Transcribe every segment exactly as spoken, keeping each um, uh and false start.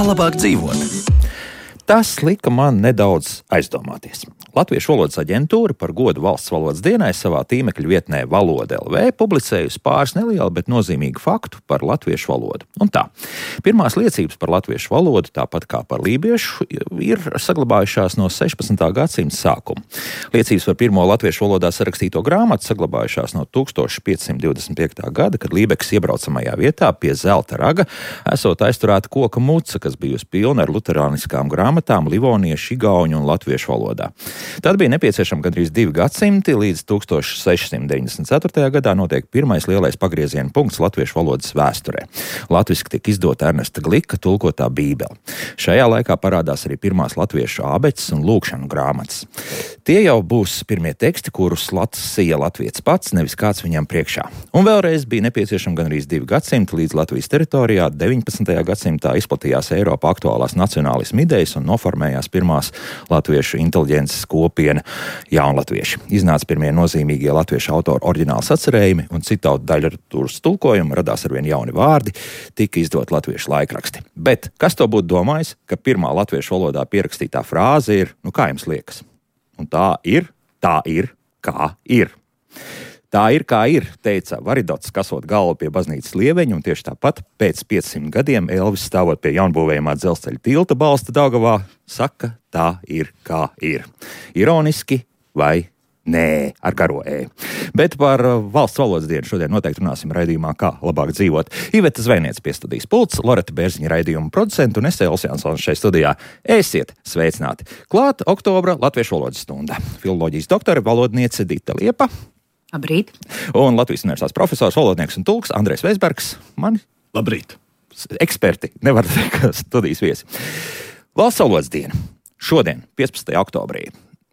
Kā labāk dzīvot? Tas lika man nedaudz aizdomāties. Latviešu valodas aģentūra par godu valsts valodas dienai savā tīmekļa vietnē Valoda L V publicējusi pāris nelielu, bet nozīmīgu faktu par latviešu valodu. Un tā, pirmās liecības par latviešu valodu, tāpat kā par lībiešu, ir saglabājušās no sešpadsmitā gadsimta sākuma. Liecības par pirmo latviešu valodā sarakstīto grāmatu saglabājušās no tūkstoš piecsimt divdesmit piektā gada, kad Lībeks iebraucamajā vietā pie Zelta raga esot aizturēta koka muca, kas bijusi pilna ar luterāniskām grāmatām livoniešu, igauņu un latviešu valodā. Tad bija nepieciešami gandrīz divi gadsimti, līdz tūkstoš sešsimt deviņdesmit ceturtajā gadā notiek pirmais lielais pagrieziena punkts latviešu valodas vēsturē. Latviski tika izdota Ernesta Glika tulkotā Bībele. Šajā laikā parādās arī pirmās latviešu ābeces un lūkšanu grāmatas. Tie jau būs pirmie teksti, kurus lasīja latvietis pats, nevis kāds viņam priekšā. Un vēlreiz bija nepieciešami gandrīz divi gadsimti, līdz Latvijas teritorijā deviņpadsmitajā gadsimtā izplatījās Eiropā aktuālās nacionālisma idejas un noformējās pirmās latviešu inteliģences kopiena jaunlatvieši. Iznāca pirmie nozīmīgie latviešu autoru oriģināli sacerējumi un citātu daļradas tulkojumi, radās arvien jauni vārdi, tika izdot latviešu laikraksti. Bet kas to būtu domājis, ka pirmā latviešu valodā pierakstītā frāze ir, nu kā jums liekas? Un tā ir, tā ir, kā ir. Tā ir, kā ir, teica Varidots, kasot galvu pie baznīcas lieveņa, un tieši tāpat pēc piecsimt gadiem Elvis stāvot pie jaunbūvējumā dzelzceļa tilta balsta Daugavā, saka, tā ir, kā ir. Ironiski vai nē, ar garo E. Bet par valsts valodas dienu šodien noteikti runāsim raidījumā Kā labāk dzīvot. Iveta Zvejniece pie studijas pults, Loreta Bērziņa raidījuma producenta un es Elvis Jansons šeit studijā. Esiet sveicināti! Klāt oktobra latviešu valodas stunda. Filoloģijas doktore, valodniece Dita Liepa. Labrīt. Un Latvijas universitātes profesors, valodnieks un tulks Andrejs Veisbergs. Mani? Labrīt. Eksperti, nevar teikt, ka studijas viesi. Valsts valodas diena. Šodien, piecpadsmitajā oktobrī.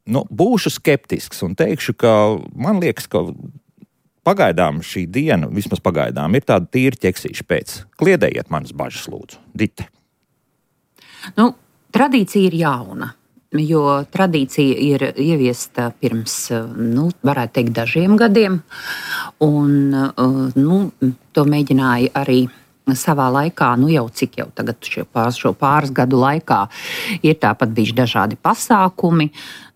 Nu, būšu skeptisks un teikšu, ka man liekas, ka pagaidām šī diena, vismaz pagaidām, ir tāda tīra ķeksīša pēc. Kliedējiet manas bažas, lūdzu. Dite. Nu, tradīcija ir jauna. Jo tradīcija ir ieviesta pirms, nu, varētu teikt, dažiem gadiem, un nu, to mēģināja arī savā laikā, nu jau cik jau tagad šo pāris, šo pāris gadu laikā ir tāpat bijuši dažādi pasākumi.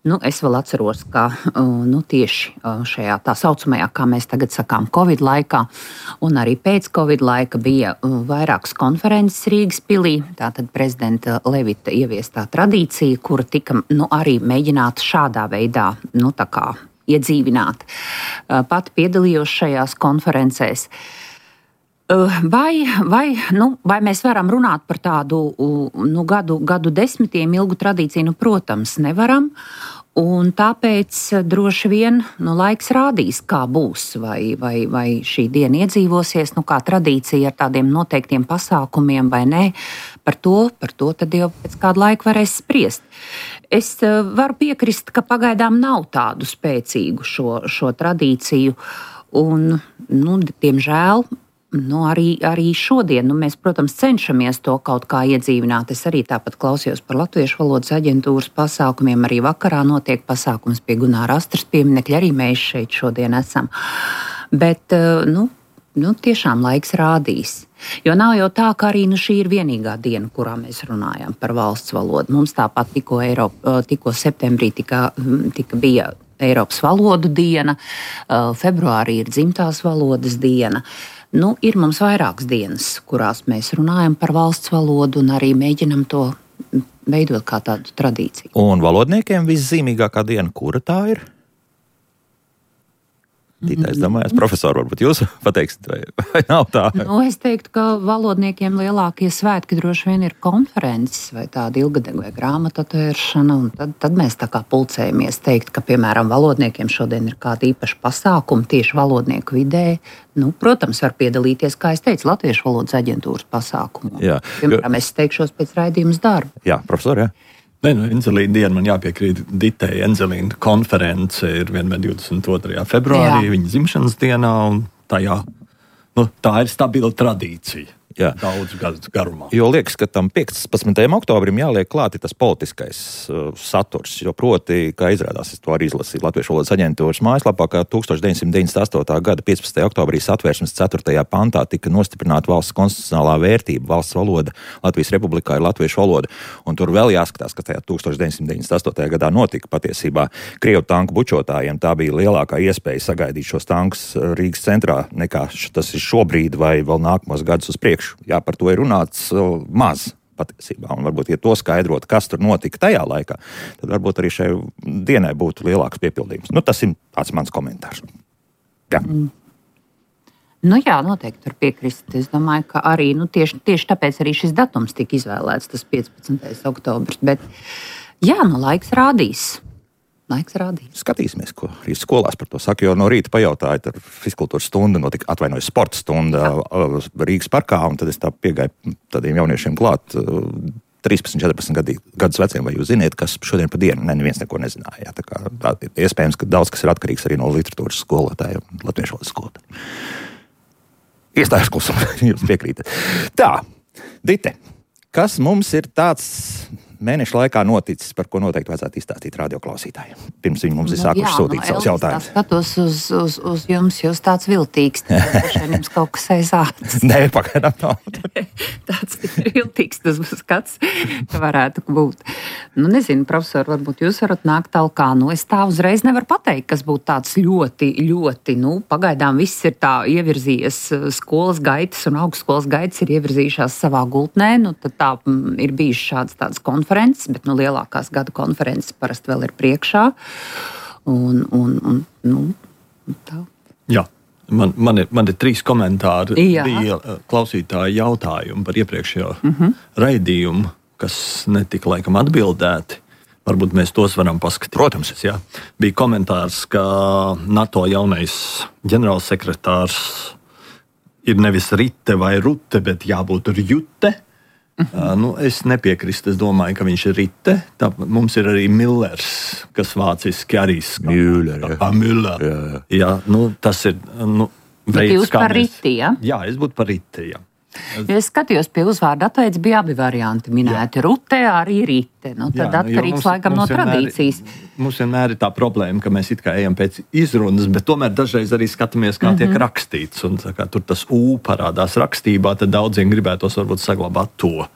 Nu, es vēl atceros, ka nu, tieši šajā tā saucamajā, kā mēs tagad sakām, Covid laikā, un arī pēc Covid laika bija vairākas konferences Rīgas pilī. Tātad prezidenta Levita ieviestā tradīcija, kura tika nu, arī mēģināta šādā veidā nu, tā kā iedzīvināt. Pati piedalījos šajās konferencēs. Vai, vai, nu, vai mēs varam runāt par tādu nu, gadu, gadu desmitiem ilgu tradīciju? Nu, protams, nevaram. Un tāpēc droši vien nu, laiks rādīs, kā būs, vai, vai, vai šī diena iedzīvosies, nu, kā tradīcija ar tādiem noteiktiem pasākumiem vai nē. Par to, par to tad jau pēc kāda laika varēs spriest. Es varu piekrist, ka pagaidām nav tādu spēcīgu šo, šo tradīciju. Un, nu, diemžēl, Nu, arī, arī šodien nu, mēs, protams, cenšamies to kaut kā iedzīvināt. Es arī tāpat klausījos par Latviešu valodas aģentūras pasākumiem. Arī vakarā notiek pasākums pie Gunāra Astras pieminekļa. Arī mēs šeit šodien esam. Bet nu, nu, tiešām laiks rādīs. Jo nav jau tā, ka arī nu, šī ir vienīgā diena, kurā mēs runājam par valsts valodu. Mums tāpat tikko, Eiropa, tikko septembrī tika, tika bija Eiropas valodu diena, februārī ir dzimtās valodas diena. Nu, ir mums vairākas dienas, kurās mēs runājam par valsts valodu un arī mēģinam to veidot kā tādu tradīciju. Un valodniekiem viszīmīgākā diena, kura tā ir? Tītais domājās, profesori, varbūt jūs pateiksiet, vai, vai nav tā? Nu, es teiktu, ka valodniekiem lielākie svētki droši vien ir konferences vai tāda ilgadega vai grāmatu atvēršana, un tad, tad mēs tā kā pulcējamies teikt, ka, piemēram, valodniekiem šodien ir kāda īpaša pasākuma tieši valodnieku vidē. Nu, protams, var piedalīties, kā es teicu, Latviešu valodas aģentūras pasākumu. Jā. Piemēram, es teikšos pēc raidījums darba. Jā, profesori, jā. Nē, nu, Enzelīna diena man jāpiekrīt Ditei. Enzelīna konference ir vienmēr divdesmit otrajā februārī, Jā. viņa dzimšanas dienā, un tajā, nu, tā ir stabila tradīcija. Jā. daudz gadu garumā. Jo liekas, ka tam piecpadsmitajam oktobrim jāliek klāti tas politiskais uh, saturs, jo proti, kā izrādās, es to arī izlasīju Latviešu valodas aģentūras mājaslapā, ka tukstovš deviņsimt deviņdesmit astotā gada piecpadsmitajā oktobrī Satversmes ceturtajā pantā tika nostiprināta valsts konstitucionālā vērtība, valsts valoda Latvijas Republikā ir latviešu valoda. Un tur vēl jāskatās, ka tajā tukstovš deviņsimt deviņdesmit astotajā gadā notika patiesībā Krievu tanku bučotājiem. Tā bija lielākā iespēja sagaidīt šos tankus Rīgas centrā, nekā tas ir šobrīd vai vēl nākamos gadus uz priekšu. Jā, par to ir runāts uh, maz patiesībā. Un varbūt, ja to skaidrot, kas tur notika tajā laikā, tad varbūt arī šai dienai būtu lielāks piepildījums. Nu, tas ir tāds mans komentārs. Jā. Mm. Nu jā, noteikti tur piekrist. Es domāju, ka arī nu, tieši, tieši tāpēc arī šis datums tika izvēlēts, tas piecpadsmitais oktobris. Bet jā, nu laiks rādīs. Laiks rādīs. Skatīsimies, ko arī skolās par to saka, jo no rīta pajautāju, tad fizkultūras stunda notika, atvainojas sporta stunda Jā. Rīgas parkā, un tad es tā piegāju tādiem jauniešiem klāt, trīspadsmit, četrpadsmit gadus veciem, vai jūs ziniet, kas šodien pa dienu, ne, neviens neko nezināja. Jā, tā kā tā, iespējams, ka daudz kas ir atkarīgs arī no literatūras skolotājiem, latviešu valodas skolotājiem. Iestājas klusumā, jūs piekrītat. Tā, Dite, kas mums ir tāds mēneša laikā noticis, par ko noteikti vajadzētu izstāstīt radioklausītājiem? Pirms viņi mums ir sākuši nu, sūtīt nu, savus jautājumus. Es skatos uz, uz, uz jums, jūs tāds viltīgs. Tad jums kaut kas aizācis. Nē, pagaidām nav. Tāds viltīgs tas skats varētu būt. Nu, nezinu, profesor, varbūt jūs varat nākt talkā. Nu, es tā uzreiz nevaru pateikt, kas būtu tāds ļoti, ļoti, nu, pagaidām viss ir tā ievirzījies, skolas gaitas un augstskolas gaitas ir ievirzījušās savā gultnē. Nu, tad tā m, ir bijušas šādas tādas konferences. Bet nu, lielākās gada konferences parasti vēl ir priekšā. Un, un, un, nu, tā. Jā, man, man, ir, man ir trīs komentāri. Jā. Bija klausītāji jautājumi par iepriekšējo Mhm. raidījumu, kas netika laikam atbildēti. Varbūt mēs tos varam paskatīties. Protams. Jā. Bija komentārs, ka NATO jaunais ģenerālsekretārs ir nevis Rite vai Rute, bet jābūt Rjute. Uh, nu, es nepiekrīstu. Es domāju, ka viņš ir Rite. Tā, mums ir arī Millers, kas vāciski arī skan. Müller, jā. Tā, Müller. Jā, jā. Jā, nu, tas ir nu, Bet jūs kā par mēs- Riti, ja? Jā, es būtu par Rite, jā. Ja es skatījos pie uzvārda atveids, bija abi varianti minēti. Jā. Rute, arī Rite. Nu, tad Jā, nu, jo atkarīgs mums- laikam no mums vienmēr- tradīcijas. Mums vienmēr ir tā problēma, ka mēs it kā ejam pēc izrunas, bet tomēr dažreiz arī skatāmies, kā mm -hmm. tiek rakstīts. Un, kā, tur tas U parādās rakstībā, tad daudziem gribētos varbūt saglabāt to.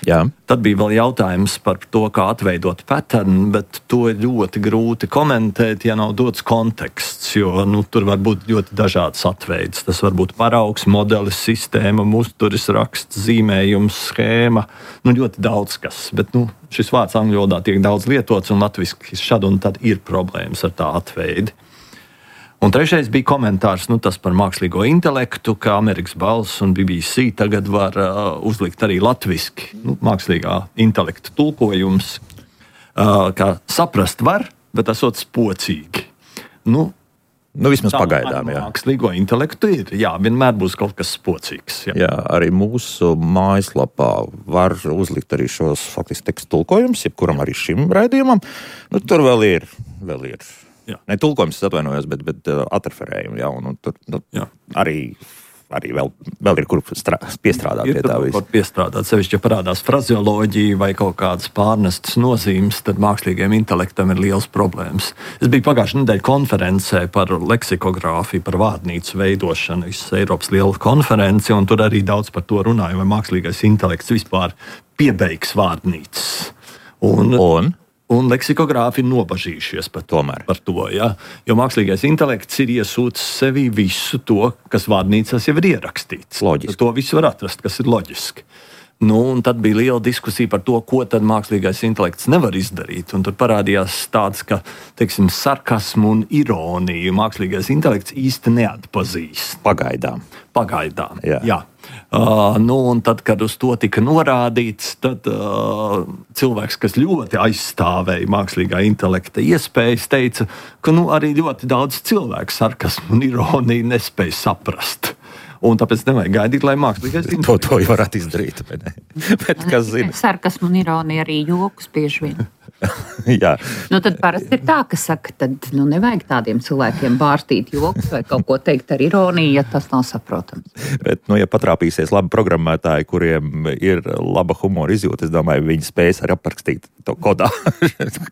Jā. Tad bija vēl jautājums par to, kā atveidot patternu, bet to ir ļoti grūti komentēt, ja nav dots konteksts. Jo nu, tur var būt ļoti dažādas atveids. Tas var būt paraugs, modelis, sistēma, uzturis, raksts, zīmējums, schēma. Nu, ļoti daudz kas. Bet nu, šis vārds angļu valodā tiek daudz lietots, un latviski šad un tad ir problēmas ar tā atveidi. Un trešais bija komentārs nu, tas par mākslīgo intelektu, ka Amerikas Balss un B B C tagad var uh, uzlikt arī latviski nu, mākslīgā intelekta tulkojums, uh, kā saprast var, bet esot spocīgi. Nu, Nu, vismaz tā pagaidām, ar jā. Mākslīgo intelektu ir. Jā, vienmēr būs kaut kas spocīgs. Jā. Jā, arī mūsu mājaslapā var uzlikt arī šos faktiski tekstu tulkojumus, jebkuram arī šim raidījumam. Nu, tur vēl ir, vēl ir. Jā. Ne tulkojums, es atvainojos, bet, bet uh, atreferējumi, jā, un, un tur nu, Jā. arī, arī vēl, vēl ir kur strā, piestrādāt Ir pie tā tur visa. kaut piestrādāt, sevišķi, ja parādās frazeoloģija vai kaut kādas pārnestas nozīmes, tad mākslīgajam intelektam ir liels problēmas. Es biju pagājušajā nedēļā konferencē par leksikogrāfiju, par vārdnīcu veidošanu, visas Eiropas liela konference, un tur arī daudz par to runāja, vai mākslīgais intelekts vispār piebeigs vārdnīcas. Un, Un? Un leksikogrāfi ir nobažījušies par to. Tomēr. Par to ja? Jo mākslīgais intelekts ir iesūcis sevī visu to, kas vārnīcās jau ir ierakstīts. Loģiski. To visu var atrast, kas ir loģiski. Nu, un tad bija liela diskusija par to, ko tad mākslīgais intelekts nevar izdarīt. Un tur parādījās tāds, ka teiksim, sarkasmu un ironiju mākslīgais intelekts īsti neatpazīst. Pagaidām. Pagaidām. Jā. Jā. Uh, nu, un tad, kad uz to tika norādīts, tad uh, cilvēks, kas ļoti aizstāvēja mākslīgā intelekta iespējas, teica, ka nu, arī ļoti daudz cilvēku sarkasmu un ironiju nespēja saprast. Un tāpēc nevajag gaidīt, lai mākslīgais To, intelekts to jau varētu izdarīt. Bet, ne. bet kas zina? Sarkasmu un ironija arī jokus bieži vien. Jā. Nu, tad parasti ir tā, ka saka, tad nu, nevajag tādiem cilvēkiem bārstīt joks vai kaut ko teikt ar ironiju, ja tas nav saprotams. Bet, nu, ja patrāpīsies labi programmētāji, kuriem ir laba humora izjūta, es domāju, viņi spēs arī aprakstīt to kodā,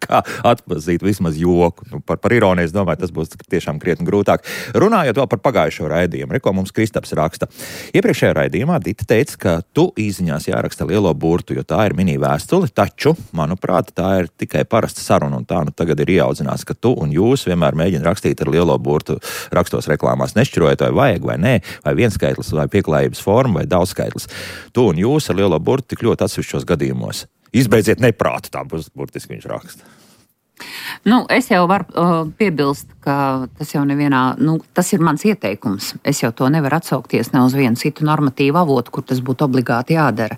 kā atpazīt vismaz joku. Nu, par, par ironiju, es domāju, tas būs tiešām krietni grūtāk. Runājot vēl par pagājušo raidījumu, reko mums Kristaps raksta. Iepriekšējā raidījumā Dita teica, ka tu īziņās jāraksta lielo burtu, jo tā ir mini vēstule, taču, manuprāt, tā ir tikai parasta saruna, un tā nu tagad ir ieaudzināts, ka tu un jūs vienmēr mēģina rakstīt ar lielo burtu rakstos reklāmās, nešķirojot, vai vajag vai nē, vai vienskaitlis, vai pieklājības forma, vai daudzskaitlis. Tu un jūs ar lielo burtu tik ļoti atsevišķos gadījumos. Izbeidziet neprātu, tā būs burtiski viņš raksta. Nu, es jau varu uh, piebilst, ka tas jau nevienā, nu, tas ir mans ieteikums. Es jau to nevaru atsaukties ne uz vienu citu normatīvu avotu, kur tas būtu obligāti jādara.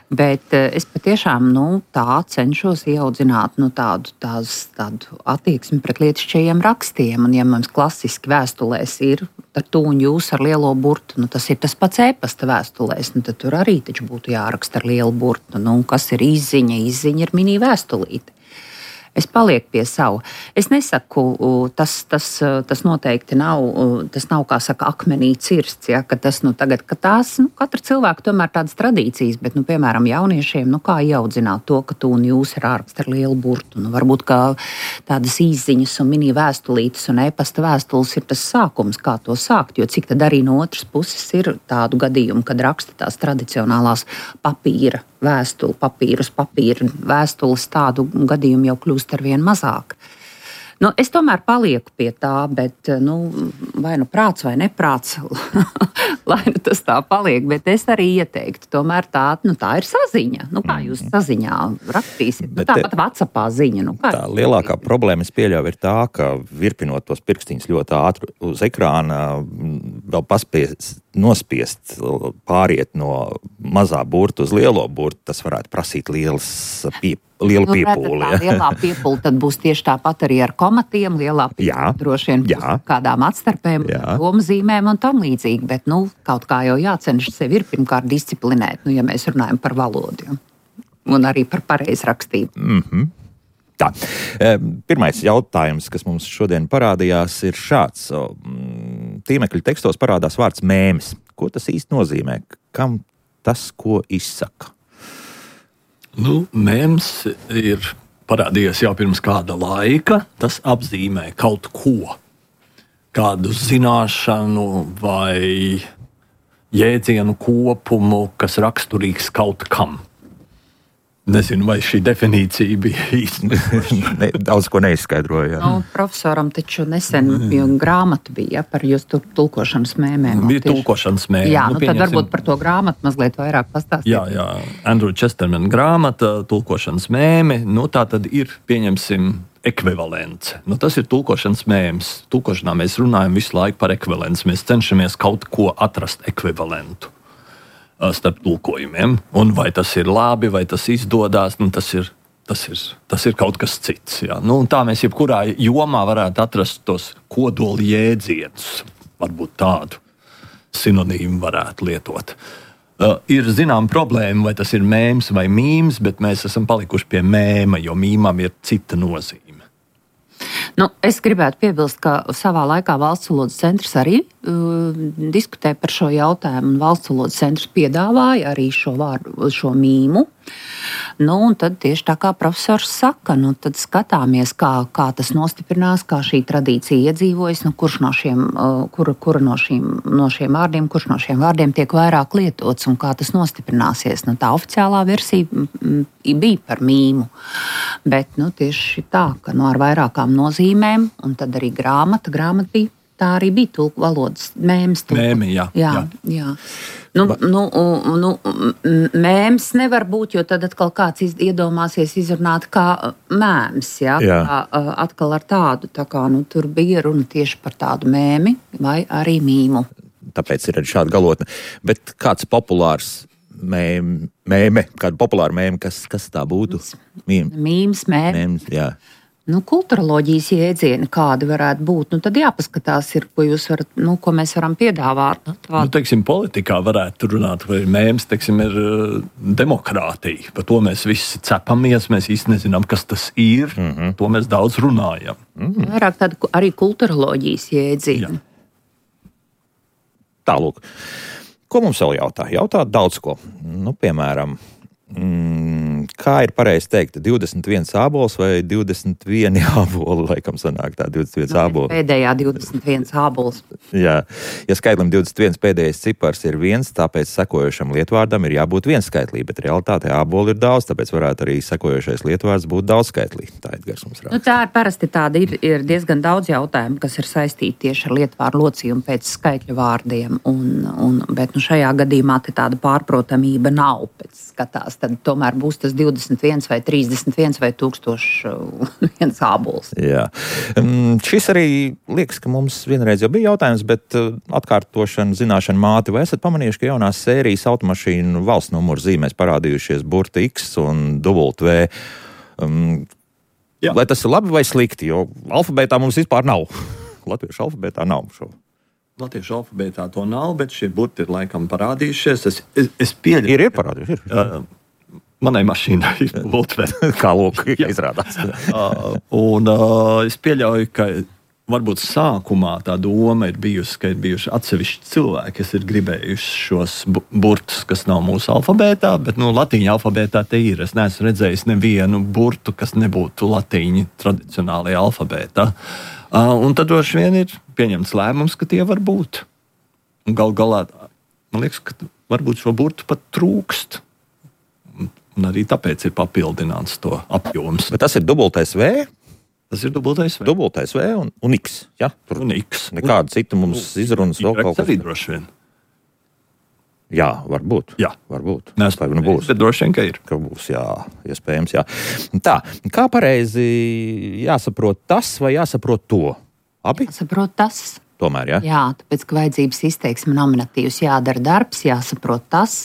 Bet es patiešām nu, tā cenšos ieaudzināt nu, tādu, tās, tādu attieksmi pret lietišķajiem rakstiem. Un, ja mums klasiski vēstulēs ir ar tu un jūs ar lielo burtu, nu, tas ir tas pats e-pasta vēstulēs, nu, tad tur arī taču būtu jāraksta ar lielu burtu. Nu, kas ir izziņa? Izziņa ir mini vēstulīte. Es palieku pie savu. Es nesaku, tas, tas, tas noteikti nav, tas nav, kā saka, akmenī cirsts, ja, ka tas, nu, tagad, ka tās, nu, katra cilvēka tomēr tādas tradīcijas, bet, nu, piemēram, jauniešiem, nu, kā ieaudzināt to, ka tu un jūs ir ārkst ar lielu burtu, nu, varbūt, kā tādas izziņas un mini vēstulītes un e-pasta vēstules ir tas sākums, kā to sākt, jo cik tad arī no otras puses ir tādu gadījumu, kad raksta tās tradicionālās papīra vēstuli, papīrus, papīra vēstules, tādu gadījumu jau kļūst ar vien mazāk. Nu, es tomēr palieku pie tā, bet nu, vai nu prāts vai neprāts, lai nu tas tā paliek, bet es arī ieteiktu, tomēr tā, nu, tā ir saziņa. Nu, kā jūs saziņā rakstīsiet? Nu, tāpat WhatsAppā ziņa. Nu, tā lielākā problēma, es pieļauju, ir tā, ka virpinot tos pirkstiņus ļoti ātri uz ekrāna, vēl paspiest, nospiest, pāriet no mazā burta uz lielo burtu, tas varētu prasīt lielas pieejas. Liela piepūle. Nu, tā lielā piepūle tad būs tieši tāpat arī ar komatiem, lielā piepūle droši vien būs kādām atstarpēm, domzīmēm un tam līdzīgi, bet nu, kaut kā jau jācenšas sevi ir pirmkārt disciplinēt, nu, ja mēs runājam par valodu un arī par pareizrakstību. Mm-hmm. Tā. Pirmais jautājums, kas mums šodien parādījās, ir šāds. Tīmekļa tekstos parādās vārds mēmis. Ko tas īsti nozīmē? Kam tas, ko izsaka? Nu, mēms ir parādījies jau pirms kāda laika. Tas apzīmē kaut ko, kādu zināšanu vai jēdzienu kopumu, kas raksturīgs kaut kam. Nezinu, vai šī definīcija bija īsta. ne, daudz ko neizskaidroja. Nu, profesoram taču nesen mm. grāmata bija par jūsu tulkošanas mēmēm. Bija tulkošanas mēmēm. Jā, nu, nu, tad varbūt par to grāmatu mazliet vairāk pastāstīt. Jā, jā. Andrew Chesterman grāmata, tulkošanas mēme, nu tā tad ir, pieņemsim, ekvivalence. Nu, tas ir tulkošanas mēms. Tulkošanā mēs runājam visu laiku par ekvivalenci. Mēs cenšamies kaut ko atrast ekvivalentu starp tulkojumiem. Un vai tas ir labi, vai tas izdodas, nu, tas, ir, tas, ir, tas ir kaut kas cits. Jā. Nu, tā mēs jebkurā jomā varētu atrast tos kodoli jēdzienus. Varbūt tādu sinonīmu varētu lietot. Uh, ir zinām problēma, vai tas ir mēms vai mīms, bet mēs esam palikuši pie mēma, jo mīmam ir cita nozīme. Nu, es gribētu piebilst, ka savā laikā Valsts valodas centrs arī uh, diskutē par šo jautājumu, un Valsts valodas centrs piedāvāja arī šo vārdu, šo mīmu. Nu, un tad tieši tā kā profesors saka, nu, tad skatāmies, kā, kā tas nostiprinās, kā šī tradīcija iedzīvojas, nu, kurš no šiem, uh, kura, kura no, šīm, no šiem vārdiem, kurš no šiem vārdiem tiek vairāk lietots un kā tas nostiprināsies. Nu, tā oficiālā versija mm, bija par mīmu, bet nu, tieši tā, ka nu, ar vairākām nozīmēm, un tad arī grāmata, grāmata bija, tā arī bija tulku valodas mēms. Mēmi, jā. jā, jā. jā. Nu, nu, nu, mēms nevar būt, jo tad atkal kāds iz, iedomāsies izrunāt kā mēms, jā, jā. Kā, atkal ar tādu, tā kā nu, tur bija runa tieši par tādu mēmi vai arī mīmu. Tāpēc ir arī šāda galotne. Bet kāds populārs mēme, kāda populāra mēme, kas, kas tā būtu? Mīms, mēme. Mēms, jā. Nu, kulturoloģijas jēdzieni, kādi varētu būt, nu, tad jāpaskatās, ir, ko, jūs varat, nu, ko mēs varam piedāvāt. Nu, teiksim, politikā varētu runāt, vai mēms, teiksim, ir uh, demokrātija. Par to mēs visi cepamies, mēs īsti nezinām, kas tas ir. Mm-hmm. To mēs daudz runājam. Mm-hmm. Vairāk tādu arī kulturoloģijas jēdzieni. Jā. Tālūk. Ko mums vēl jautā? Jautā daudz ko. Nu, piemēram, Mm, kā ir pareizi teikt, divdesmit viens ābols vai divdesmit viens āboli, laikam sanāk tā divdesmit viens āboli. Pēdējā divdesmit viens ābols. Jā, ja skaitlim divdesmit viens pēdējais cipars ir viens, tāpēc sekojošam lietvārdam ir jābūt vienskaitlī, bet realitātē āboli ir daudz, tāpēc varētu arī sekojošais lietvārds būt daudzskaitlī. Tā ir Garsums raksta. Nu, tā ir parasti tāda, ir, ir diezgan daudz jautājumu, kas ir saistīti tieši ar lietvārdu locījumu pēc skaitļu vārdiem, un, un, bet nu, šajā gadījumā te tāda pārprotamība nav pēc skatās. Tad tomēr būs tas divdesmit viens vai trīsdesmit viens vai tūkstoši viens ābols. Jā. Um, šis arī liekas, ka mums vienreiz jau bija jautājums, bet uh, atkārtošana, zināšana māte, vai esat pamanījuši, ka jaunās sērijas automašīnu valsts numuru zīmēs parādījušies burti X un W? Um, vai tas ir labi vai slikti, jo alfabētā mums vispār nav. Latviešu alfabētā nav šo. Latviešu alfabētā to nav, bet šie burti ir laikam parādījušies. Es, es, es pieļauju. Ir, ir parādījušies. Ir. Uh, Manai mašīnai ir Volkswagen. Kā lūk, izrādās. uh, un uh, es pieļauju, ka varbūt sākumā tā doma ir bijusi, ka ir bijuši atsevišķi cilvēki, kas ir gribējuši šos bu- burtus, kas nav mūsu alfabētā, bet nu, latīņa alfabētā te ir. Es neesmu redzējis nevienu burtu, kas nebūtu latīņa tradicionālajā alfabētā. Uh, un tad droši vien ir pieņemts lēmums, ka tie var būt. Un gal galā, man liekas, ka varbūt šo burtu pat trūkst. Un arī tāpēc ir papildināts to apjoms. Bet tas ir dubultais V? Tas ir dubultais V. Dubultais V un, un X. Ja? Tur Un X. nekāda cita mums izrunas vēl kaut kas. Arī kas. droši vien. Jā, varbūt. Jā. Varbūt. Nē, Tā nu būs. bet droši vien, ka ir. Ka būs, jā, iespējams, jā. Tā, kā pareizi jāsaprot tas vai jāsaprot to? Abi? Saprot tas. Tomēr, jā? Jā, tāpēc, ka vajadzības izteiksme nominatīvs jādara darbs, jāsaprot tas,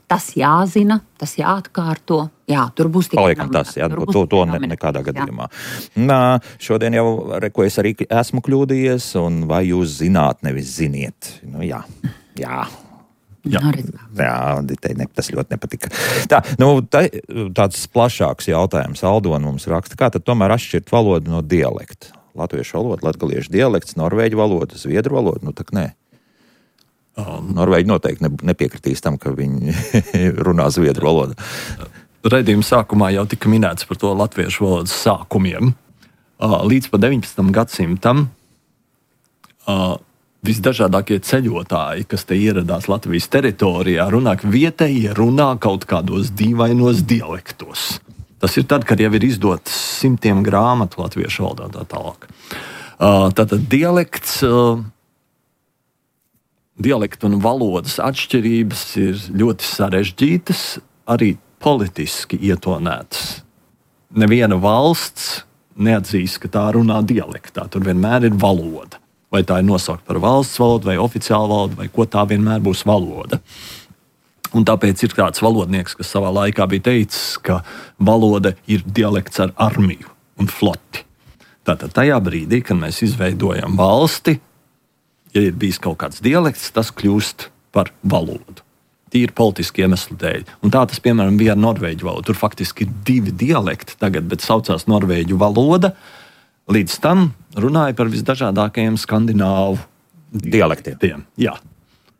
tas jāzina, tas jāatkārto. Jā, tur būs tikai Paliekam tas, jā, tur to, būs to, to tikai ne, nominatīvs, nekādā jā. gadījumā. Nā, šodien jau, reko, es arī esmu kļūdījies, un vai jūs zināt, nevis ziniet? Nu, jā, jā. Jā. Nu, redz, Jā, Ditei ne, tas ļoti nepatika. Tā, nu, tā, tāds plašāks jautājums. Aldona mums raksta, kā tad tomēr atšķirt valodu no dialekta? Latviešu valoda, latgaliešu dialekts, norvēģu valoda, zviedru valoda, nu tak nē. Um, Norvēģi noteikti ne, nepiekritīs tam, ka viņi runā zviedru valodu. Raidījuma sākumā jau tika minēts par to latviešu valodas sākumiem. Uh, līdz pa deviņpadsmitam gadsimtam uh, visdažādākie ceļotāji, kas te ieradās Latvijas teritorijā, runā, ka vietējie runā kaut kādos dīvainos dialektos. Tas ir tad, kad jau ir izdotas simtiem grāmatu latviešu valodā tā tālāk. Uh, tātad dialekts, uh, dialektu un valodas atšķirības ir ļoti sarežģītas, arī politiski ietonētas. Neviena valsts neatzīst, ka tā runā dialektā. Tur vienmēr ir valoda. Vai tā ir nosaukta par valsts valodu, vai oficiālu valodu, vai ko tā vienmēr būs valoda. Un tāpēc ir kāds valodnieks, kas savā laikā bija teicis, ka valoda ir dialekts ar armiju un floti. Tātad tajā brīdī, kad mēs izveidojam valsti, ja ir bijis kaut kāds dialekts, tas kļūst par valodu. Tīri politiski iemeslu dēļ. Un tā tas, piemēram, bija ar norvēģu valodu. Tur faktiski ir divi dialekti tagad, bet saucās norvēģu valoda. Līdz tam runāja par visdažādākajiem skandināvu Dialektiem. Jā.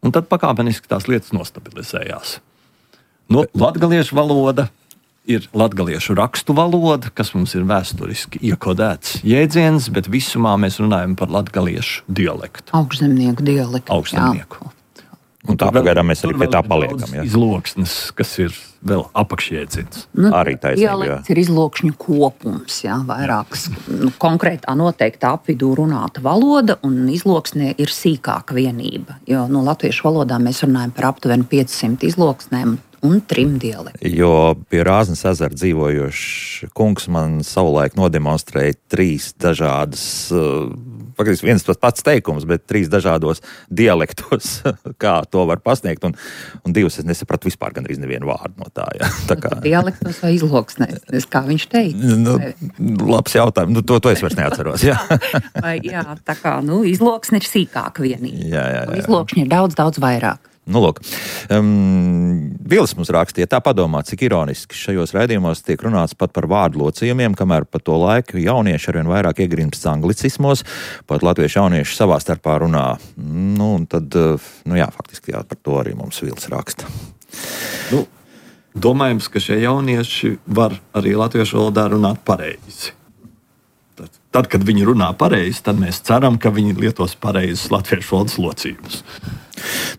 Un tad pakāpeniski tās lietas nostabilizējās. No, latgaliešu valoda ir latgaliešu rakstu valoda, kas mums ir vēsturiski iekodēts jēdziens, bet visumā mēs runājam par latgaliešu dialektu. Augšzemnieku dialektu. Augšzemnieku. Jā. Un tā pagaidām mēs arī pie tā paliekam. Jā. Izloksnes, kas ir vēl apakšjēdziens. Nu, Arī taisnība, jā. dialekts ir izlokšņu kopums, jā, vairākas nu, konkrētā noteikta apvidū runāta valoda, un izloksnē ir sīkāka vienība. Jo no latviešu valodā mēs runājam par aptuveni piecsimt izloksnēm un trim dialektiem. Jo pie Rāznas ezera dzīvojošs kungs man savulaik nodemonstrēja trīs dažādas uh, faktiski viens tas pats teikums, bet trīs dažādos dialektos, kā to var pasniegt, un, un divas es nesapratu vispār gandrīz nevienu vārdu no tā. Ja. Tā kā... Dialektos vai izloksnēs, kā viņš teica? Nu, labs jautājums, nu, to, to es vairs neatceros. Jā, vai, jā tā kā, nu, izloksne ir sīkāk vienīgi. Jā, jā, jā. Izlokšņi ir daudz, daudz vairāk. Nu, lūk, um, Vils mums rakstīja, tā padomā, cik ironiski šajos raidījumos tiek runāts pat par vārdu locījumiem, kamēr pa to laiku jaunieši arvien vairāk iegrimst anglicismos, pat latviešu jaunieši savā starpā runā. Nu, un tad, nu jā, faktiski jā, par to arī mums Vils raksta. Nu, domājams, ka šie jaunieši var arī latviešu valodā runāt pareizi. Tad, tad, kad viņi runā pareizi, tad mēs ceram, ka viņi lietos pareizus latviešu valodas locījumus.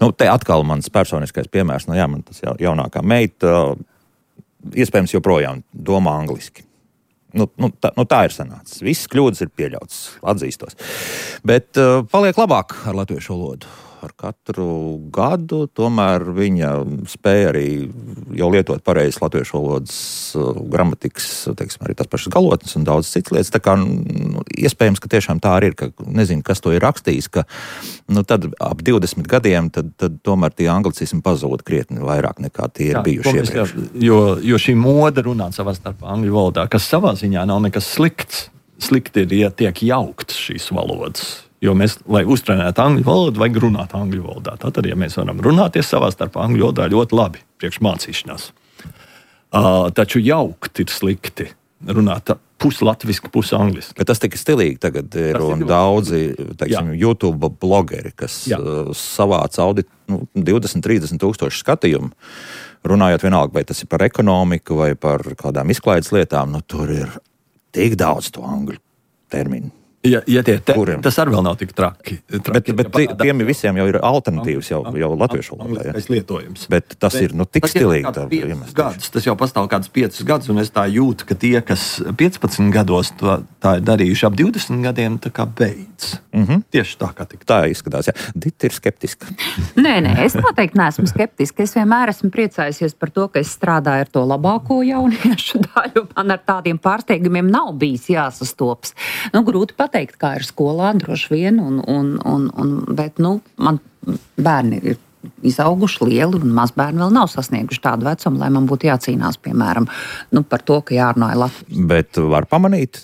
Nu, te atkal mans personiskais piemērs, nu jā, man tas jaunākā meita, iespējams joprojām domā angliski. Nu, nu, tā, nu, tā ir sanācis. Viss kļūdas ir pieļauts, atzīstos. Bet uh, paliek labāk ar latviešu valodu. Ar katru gadu tomēr viņa spēja arī jau lietot pareizes latviešu valodas uh, gramatikas, teiksim, arī tās pašas galotnes un daudz citas lietas. Tā kā nu, iespējams, ka tiešām tā arī ir, ka nezinu, kas to ir rakstījis, ka nu, tad ap divdesmit gadiem tad, tad tomēr tie anglicismi pazūd krietni vairāk nekā tie ir jā, bijuši iepriekš. Jo, jo šī moda runāt savā starpā angļu valodā, kas savā ziņā nav nekas slikts. Slikti ir, ja tiek jauktas šīs valodas. Jo mēs, lai uztrenētu angļu valodu, vajag runāt angļu valodā. Tātad, ja mēs varam runāties savā starpā angļu valodā, ļoti labi priekš mācīšanās. Uh, taču jaukt ir slikti runāt puslatviski, pusangliski. Bet tas tik stilīgi tagad ir, tas un ir daudzi, teiksim, jā. YouTube blogeri, kas jā. savāc audi nu, divdesmit trīsdesmit tūkstoši skatījumu, runājot vienalga, vai tas ir par ekonomiku vai par kādām izklaides lietām, nu tur ir tik daudz to angļu terminu. Ja, ja tie te, tas arī vēl nav tik traki. traki bet bet ja tiem visiem jau ir alternatīvas jau, jau latviešu valodā. Lietojums. Bet tas bet, ir nu, tik stilīgi. Gadus, tas jau pastāv kādus piecus gadus, un es tā jūtu, ka tie, kas piecpadsmit gados to, tā ir darījuši ap divdesmit gadiem, tā kā beidz. Mm-hmm. Tieši tā kā tik. Tā izskatās, jā. Dita ir skeptiska. Nē, nē, es noteikti neesmu skeptiska. Es vienmēr esmu priecājusies par to, ka es strādāju ar to labāko jauniešu daļu. Man ar tādiem pārsteigumiem nav bijis jāsastops. Nu, grūti pat teikt, kā ir skolā, droši vien, un, un, un, un, bet nu, man bērni ir izauguši lieli, un mazbērni vēl nav sasnieguši tādu vecumu, lai man būtu jācīnās, piemēram, nu, par to, ka jārunā latviešu. Bet var pamanīt?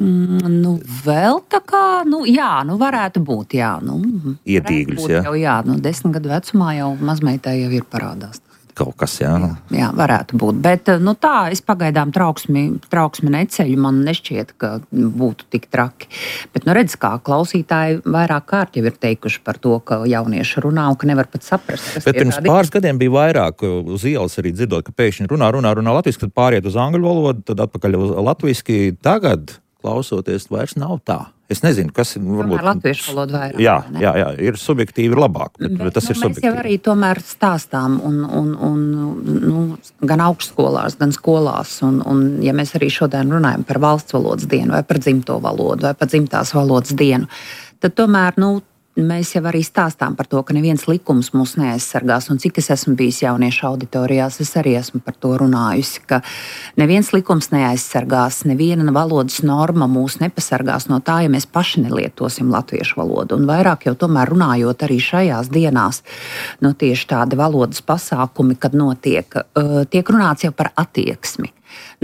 Mm, nu, vēl tā kā, nu, jā, nu, varētu būt, jā. Nu, Ietīgļus, jā? Jau, jā, nu, desmit gadu vecumā jau mazmeitai jau ir parādās. Kaut kas, jā. Jā, jā, varētu būt. Bet nu, tā, es pagaidām trauksmi, trauksmi neceļu. Man nešķiet, ka būtu tik traki. Bet, nu, redz, kā klausītāji vairāk kārt jau ir teikuši par to, ka jaunieši runā un ka nevar pat saprast, kas bet pirms tādi... pāris gadiem bija vairāk uz ielas arī dzirdot, ka pēkšņi runā, runā, runā latviski, tad pāriet uz angļu valodu, tad atpakaļ uz latviski. Tagad, klausoties, vairs nav tā. Es nezinu, kas ir. Varbūt latviešu valoda vairāk. Jā, jā, jā, ir subjektīvi, ir labāk, bet, bet tas nu, ir subjektīvi. Mēs jau arī tomēr stāstām un, un, un nu, gan augstskolās, gan skolās, un, un ja mēs arī šodien runājam par valsts valodas dienu vai par dzimto valodu vai par dzimtās valodas dienu, tad tomēr, nu, mēs jau arī stāstām par to, ka neviens likums mūs neaizsargās, un cik es esmu bijis jauniešu auditorijās, es arī esmu par to runājusi, ka neviens likums neaizsargās, neviena valodas norma mūs nepasargās no tā, ja mēs paši nelietosim latviešu valodu. Un vairāk jau tomēr runājot arī šajās dienās, nu tieši tādi valodas pasākumi, kad notiek, tiek runāts jau par attieksmi.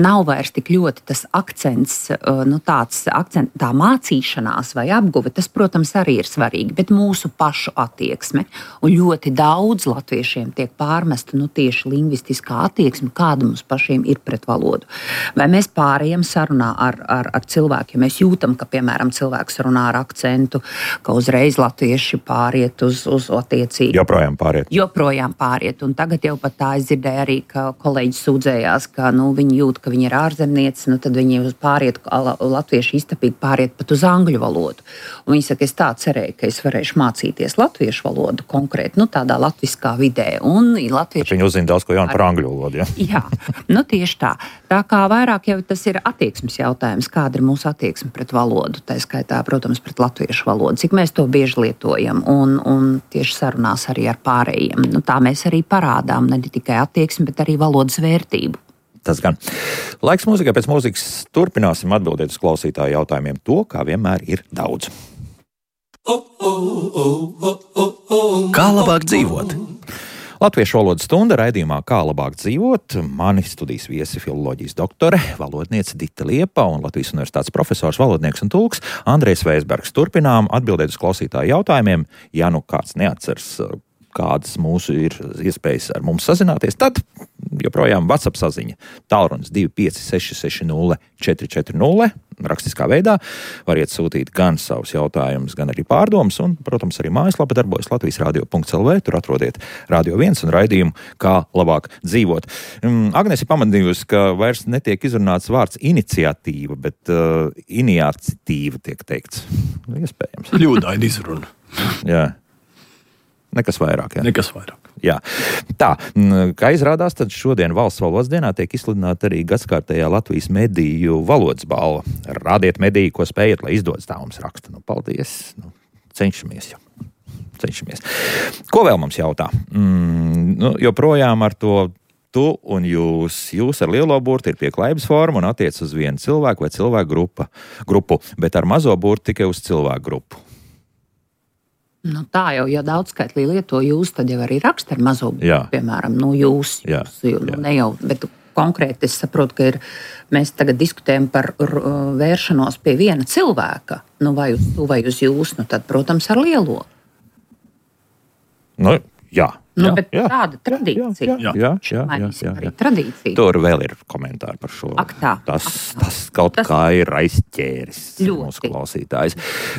Nav vairs tik ļoti tas akcents, nu tāds akcent, tā mācīšanās vai apguve, tas, protams, arī ir svarīgi, bet mūsu pašu attieksme. Un ļoti daudz latviešiem tiek pārmesta nu, tieši lingvistiskā attieksme, kāda mums pašiem ir pret valodu. Vai mēs pārējām sarunā ar, ar, ar cilvēku, ja mēs jūtam, ka, piemēram, cilvēks runā ar akcentu, ka uzreiz latvieši pāriet uz, uz attiecīgi. Joprojām pāriet. Joprojām pāriet. Un tagad jau pat tā es dzirdēju arī, ka kolēģis sūdzējās, ka nu, viņi jūt, ka viņi ir ārzemnieci, nu tad viņi pāriet, latvieši iztapīgi pāriet pat uz angļu valodu. Un viņi saka, es tā cerēju, ka es varēšu mācīties latviešu valodu konkrēti, nu tādā latviskā vidē. Un latvieši... Viņi uzzina daudz ko jaunu par angļu valodu, ja? Jā, nu tieši tā. Tā kā vairāk jau tas ir attieksmes jautājums, kāda ir mūsu attieksme pret valodu, tā skaitā, protams, pret latviešu valodu, cik mēs to bieži lietojam un, un tieši sarunās arī ar pārējiem. Nu, tā mēs arī parādām ne tikai attieksmi, bet arī valodas vērtību. Tas gan. Laiks mūzikai, pēc mūzikas turpināsim atbildēt uz klausītāju jautājumiem. To, kā vienmēr, ir daudz. Kā labāk dzīvot? Latviešu valodas stunda raidījumā Kā labāk dzīvot. Mani studijas viesi filoloģijas doktore, valodniece Dita Liepa un Latvijas universitātes profesors, valodnieks un tulks Andrejs Veisbergs. Turpinām atbildēt uz klausītāju jautājumiem. Ja nu kāds neatceras, kādas mūsu ir iespējas ar mums sazināties, tad joprojām WhatsApp saziņa. Tālrunis divi pieci seši seši nulle četri četri nulle. Rakstiskā veidā variet sūtīt gan savus jautājumus, gan arī pārdomas, un, protams, arī mājaslapa darbojas latvijas radio punkts el vē. Tur atrodiet Radio viens un raidījumu Kā labāk dzīvot. Agnese ir pamanījusi, ka vairs netiek izrunāts vārds iniciatīva, bet uh, iniciatīva tiek teikts. Iespējams. Ļūdaini izruna. Jā. Nekas vairāk, jā. Nekas vairāk. Jā. Tā, kā izrādās, tad šodien valsts valodas dienā tiek izsludināta arī gadskārtējā Latvijas mediju valodas balva. Rādiet mediju, ko spējat, lai izdodas, tā mums raksta. Nu, paldies. Nu, cenšamies jau. Cenšamies. Ko vēl mums jautā? Mm, nu, joprojām ar to tu un jūs. Jūs ar lielo burtu ir pieklājības forma un attiec uz vienu cilvēku vai cilvēku grupa, grupu, bet ar mazo burtu tikai uz cilvēku grupu. Nu, tā jau, ja daudzskaitlī lieto jūs, tad jau arī raksta ar mazo burtu, piemēram, nu jūs, Jā. jūs nu, Jā. Ne jau, bet konkrēti es saprotu, ka ir, mēs tagad diskutējam par vēršanos pie viena cilvēka, nu vai uz tu vai uz jūs, nu tad, protams, ar lielo. Nu, jā. Nu, jā, bet jā, tāda tradīcija. Jā, jā, jā, jā, jā, jā. Tradīcija. Tur vēl ir komentāri par šo. Ak tā, tas, ak tā. tas kaut tas kā ir aizķēris ļoti. Mūsu klausītājs.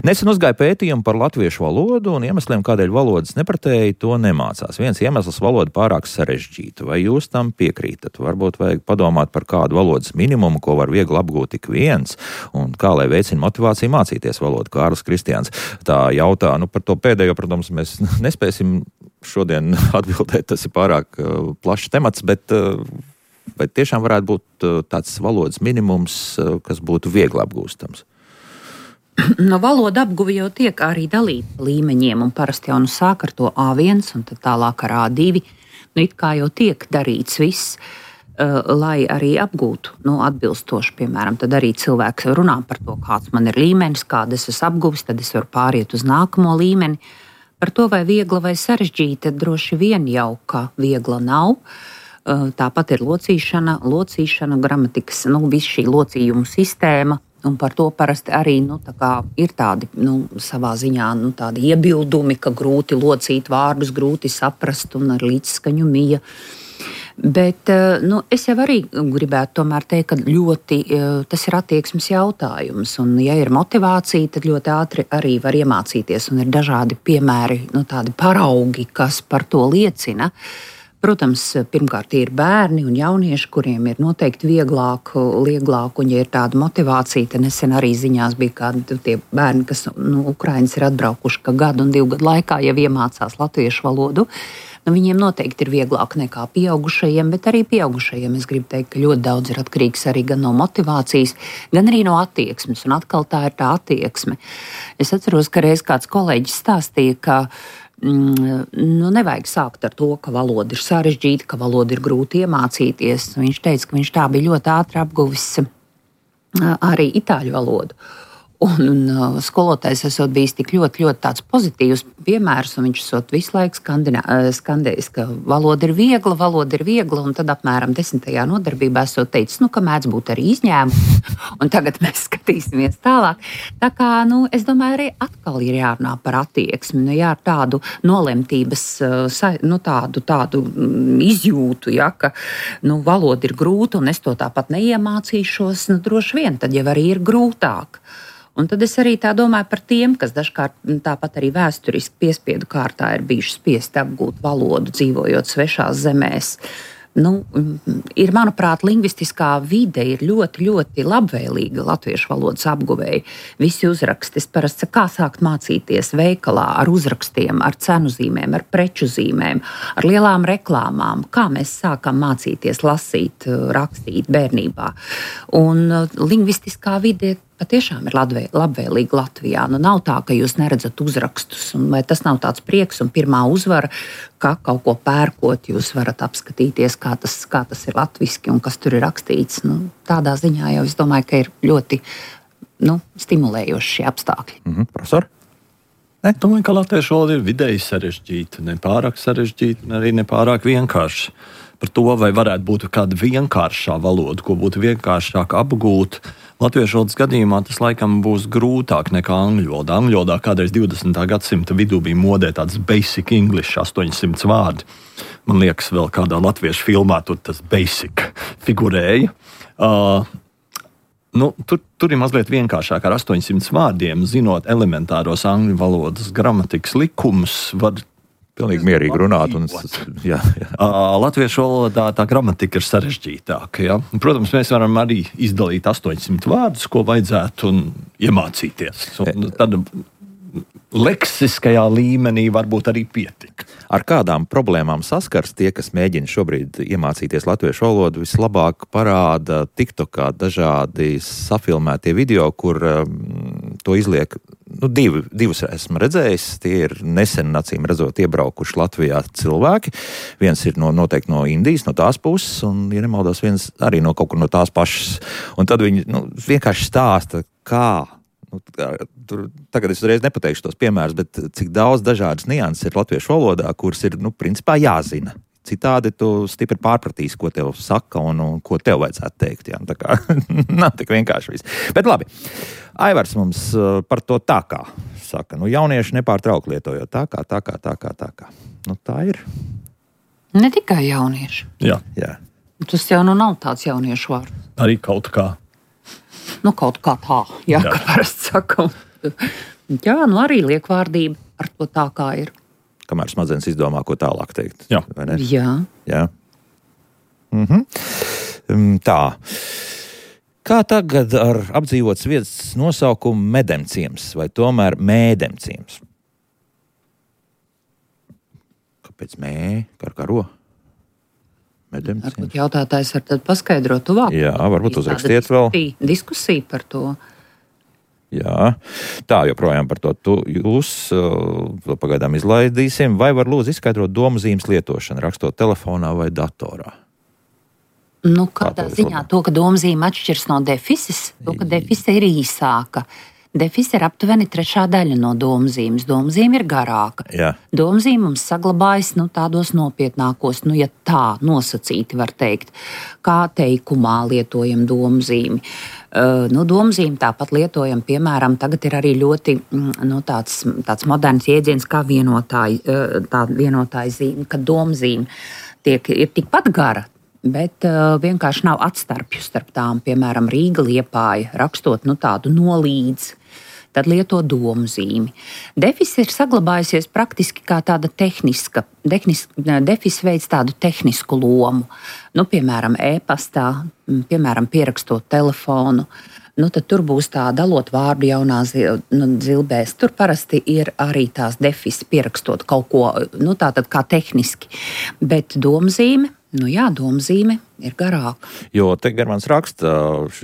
Nesen uzgāja pētījumu par latviešu valodu un iemesliem, kādēļ valodas nepratēji to nemācās. Viens iemesls valoda pārāk sarežģīta. Vai jūs tam piekrītat? Varbūt vajag padomāt par kādu valodas minimumu, ko var viegli apgūt tik viens, un kā lai veicina motivāciju mācīties valodu. Kārlis Kristiāns tā jautā, nu par to pēdējo, protams, mēs nespēsim šodien atbildēt, tas ir pārāk uh, plašs temats, bet uh, vai tiešām varētu būt uh, tāds valodas minimums, uh, kas būtu viegli apgūstams? No valoda apguve jau tiek arī dalīta līmeņiem, un parasti jau nu sāk ar to A viens un tad tālāk ar A divi. Nu, it kā jau tiek darīts viss, uh, lai arī apgūtu, nu, atbilstoši, piemēram, tad arī cilvēks runā par to, kāds man ir līmenis, kāda es esmu apguvis, tad es varu pāriet uz nākamo līmeni. Par to, vai viegla vai sarežģīta, droši vien jau, ka viegla nav. Tāpat ir locīšana, locīšana, gramatikas, nu, viss šī locījuma sistēma, un par to parasti arī, nu, tā kā ir tādi, nu, savā ziņā, nu, tādi iebildumi, ka grūti locīt vārdus, grūti saprast un ar līdzskaņu mija. Bet nu, es jau arī gribētu tomēr teikt, ka ļoti tas ir attieksmes jautājums. Un, ja ir motivācija, tad ļoti ātri arī var iemācīties. Un ir dažādi piemēri, nu, tādi paraugi, kas par to liecina. Protams, pirmkārt ir bērni un jaunieši, kuriem ir noteikti vieglāk, vieglāk un, ja ir tāda motivācija, tad nesen arī ziņās bija kādi tie bērni, kas no Ukrainas ir atbraukuši, ka gadu un divu gadu laikā jau iemācās latviešu valodu. Nu, viņiem noteikti ir vieglāk nekā pieaugušajiem, bet arī pieaugušajiem es gribu teikt, ka ļoti daudz ir atkarīgs arī gan no motivācijas, gan arī no attieksmes. Un atkal tā ir tā attieksme. Es atceros, ka reiz kāds kolēģis stāstīja, ka mm, nu, nevajag sākt ar to, ka valoda ir sarežģīta, ka valoda ir grūti iemācīties. Viņš teica, ka viņš tā bija ļoti ātri apguvis arī itāļu valodu. Un, un skolotājs esot bijis tik ļoti, ļoti tāds pozitīvs piemērs, un viņš esot visu laiku skandējis, ka valoda ir viegla, valoda ir viegla, un tad apmēram desmitajā nodarbībā esot teicis, nu, ka mēdz būt arī izņēmumi, un tagad mēs skatīsimies tālāk. Tā kā, nu, es domāju, arī atkal ir jārunā par attieksmi, nu, jā, tādu nolemtības, nu, tādu, tādu izjūtu, ja, ka, nu, valoda ir grūta, un es to tāpat neiemācīšos, nu, droši vien, tad jau arī ir grūtāk. Un tad es arī tā domāju par tiem, kas dažkārt tāpat arī vēsturiski piespiedu kārtā ir bijuši spiesti apgūt valodu, dzīvojot svešās zemēs. Nu, ir, manuprāt, lingvistiskā vide ir ļoti, ļoti labvēlīga latviešu valodas apguvēji. Visi uzraksti, es parasti saku, kā sākt mācīties veikalā ar uzrakstiem, ar cenu zīmēm, ar preču zīmēm, ar lielām reklāmām, kā mēs sākam mācīties lasīt, rakstīt bērnībā. Un lingvistiskā vide patiešām ir labvēlīga Latvijā. Nu, nav tā, ka jūs neredzat uzrakstus, un vai tas nav tāds prieks un pirmā uzvara, ka kaut ko pērkot, jūs varat apskatīties, kā tas, kā tas ir latviski un kas tur ir rakstīts. Nu, tādā ziņā jau es domāju, ka ir ļoti nu, stimulējoši šie apstākļi. Mm-hmm. Profesor? Ne? Domāju, ka latviešu valoda ir vidēji sarežģīta, ne pārāk sarežģīta, ne arī ne pārāk vienkārša. Par to, vai varētu būt kāda vienkāršā valoda, ko būtu vienkāršāk apgūt. Latviešu valodas gadījumā tas laikam būs grūtāk nekā angļu valoda. Angļu valodā kādreiz divdesmitā gadsimta vidū bija modē tāds basic English, astoņsimt vārdi. Man liekas, vēl kādā latviešu filmā tur tas basic figurēja. Uh, nu, tur, tur ir mazliet vienkāršāk ar astoņsimt vārdiem, zinot elementāros angļu valodas gramatikas likumus, var pilnīgi mierīgi runāt. Un, jā, jā. Uh, latviešu valodā tā gramatika ir sarežģītāka. Ja? Protams, mēs varam arī izdalīt astoņsimt vārdus, ko vajadzētu un iemācīties. Un tad leksiskajā līmenī varbūt arī pietika. Ar kādām problēmām saskars tie, kas mēģina šobrīd iemācīties latviešu valodu, vislabāk parāda TikTokā dažādi safilmētie video, kur um, to izliek. Nu, divi, divus esmu redzējis. Tie ir nesen, acīm redzot, iebraukuši Latvijā cilvēki. Viens ir no, noteikti no Indijas, no tās puses, un, ja nemaldos, viens arī no kaut kur no tās pašas. Un tad viņi nu, vienkārši stāsta, kā. Nu, tur, tagad es uzreiz nepateikšu tos piemērus, bet cik daudz dažādas nianses ir latviešu valodā, kuras ir, nu, principā jāzina. Citādi tu stipri pārpratīsi, ko tev saka un, un ko tev vajadzētu teikt. Jā. Tā kā nav tik vienkārši viss. Bet labi, Aivars mums par to tā kā saka. Nu, jaunieši nepārtraukti lietojot tā kā, tā kā, tā kā, tā kā. Nu, tā ir. Ne tikai jaunieši. Jā. Jā. Tas jau nu nav tāds jauniešu vārds. Arī kaut kā. Nu, kaut kā tā, jā, Jā. kā parasti sakam. Jā, nu arī liekvārdība ar to tā kā ir. Kamēr smadzenes izdomā, ko tālāk teikt. Jā. Vai ne? Jā. Jā. Mhm. Tā. Kā tagad ar apdzīvotas vietas nosaukumu Medemciems vai tomēr Mēdemciems? Kāpēc mē? Kā ar karo? Medemciems. Varbūt jautātājs var tad paskaidrot tuvāk. Jā, varbūt Tāda uzrakstiet vēl. diskusija- Diskusija par to. Jā, tā joprojām par to tu, jūs uh, pagaidām izlaidīsim. Vai var lūdzu izskaidrot domu zīmes lietošanu, rakstot telefonā vai datorā? Nu, Kā kādā to ziņā to, ka domzīme atšķiras no defises, to, ka defise ir īsāka. Defise ir aptuveni trešā daļa no domzīmes. Domzīme ir garāka. Jā. Domzīme mums saglabājas nu, tādos nopietnākos, nu, ja tā nosacīti var teikt, kā teikumā lietojam domzīmi. Uh, nu, domzīmi tāpat lietojam, piemēram, tagad ir arī ļoti nu, tāds, tāds moderns jēdziens kā vienotāja, uh, tā vienotāja zīme, ka domzīme tiek, ir tikpat gara, bet uh, vienkārši nav atstarpju starp tām, piemēram, Rīga, Liepāja, rakstot nu, tādu nolīdzi. Tad lieto domzīmi. Defis ir saglabājusies praktiski kā tāda tehniska, tehniska defis veids tādu tehnisku lomu. Nu, piemēram, e-pastā, piemēram, pierakstot telefonu. Nu, tad tur būs tā dalot vārdu jaunā zil, nu, zilbēs. Tur parasti ir arī tās defis pierakstot kaut ko, nu, tātad kā tehniski. Bet domzīme, nu jā, domzīme ir garāka. Jo te Germans raksta,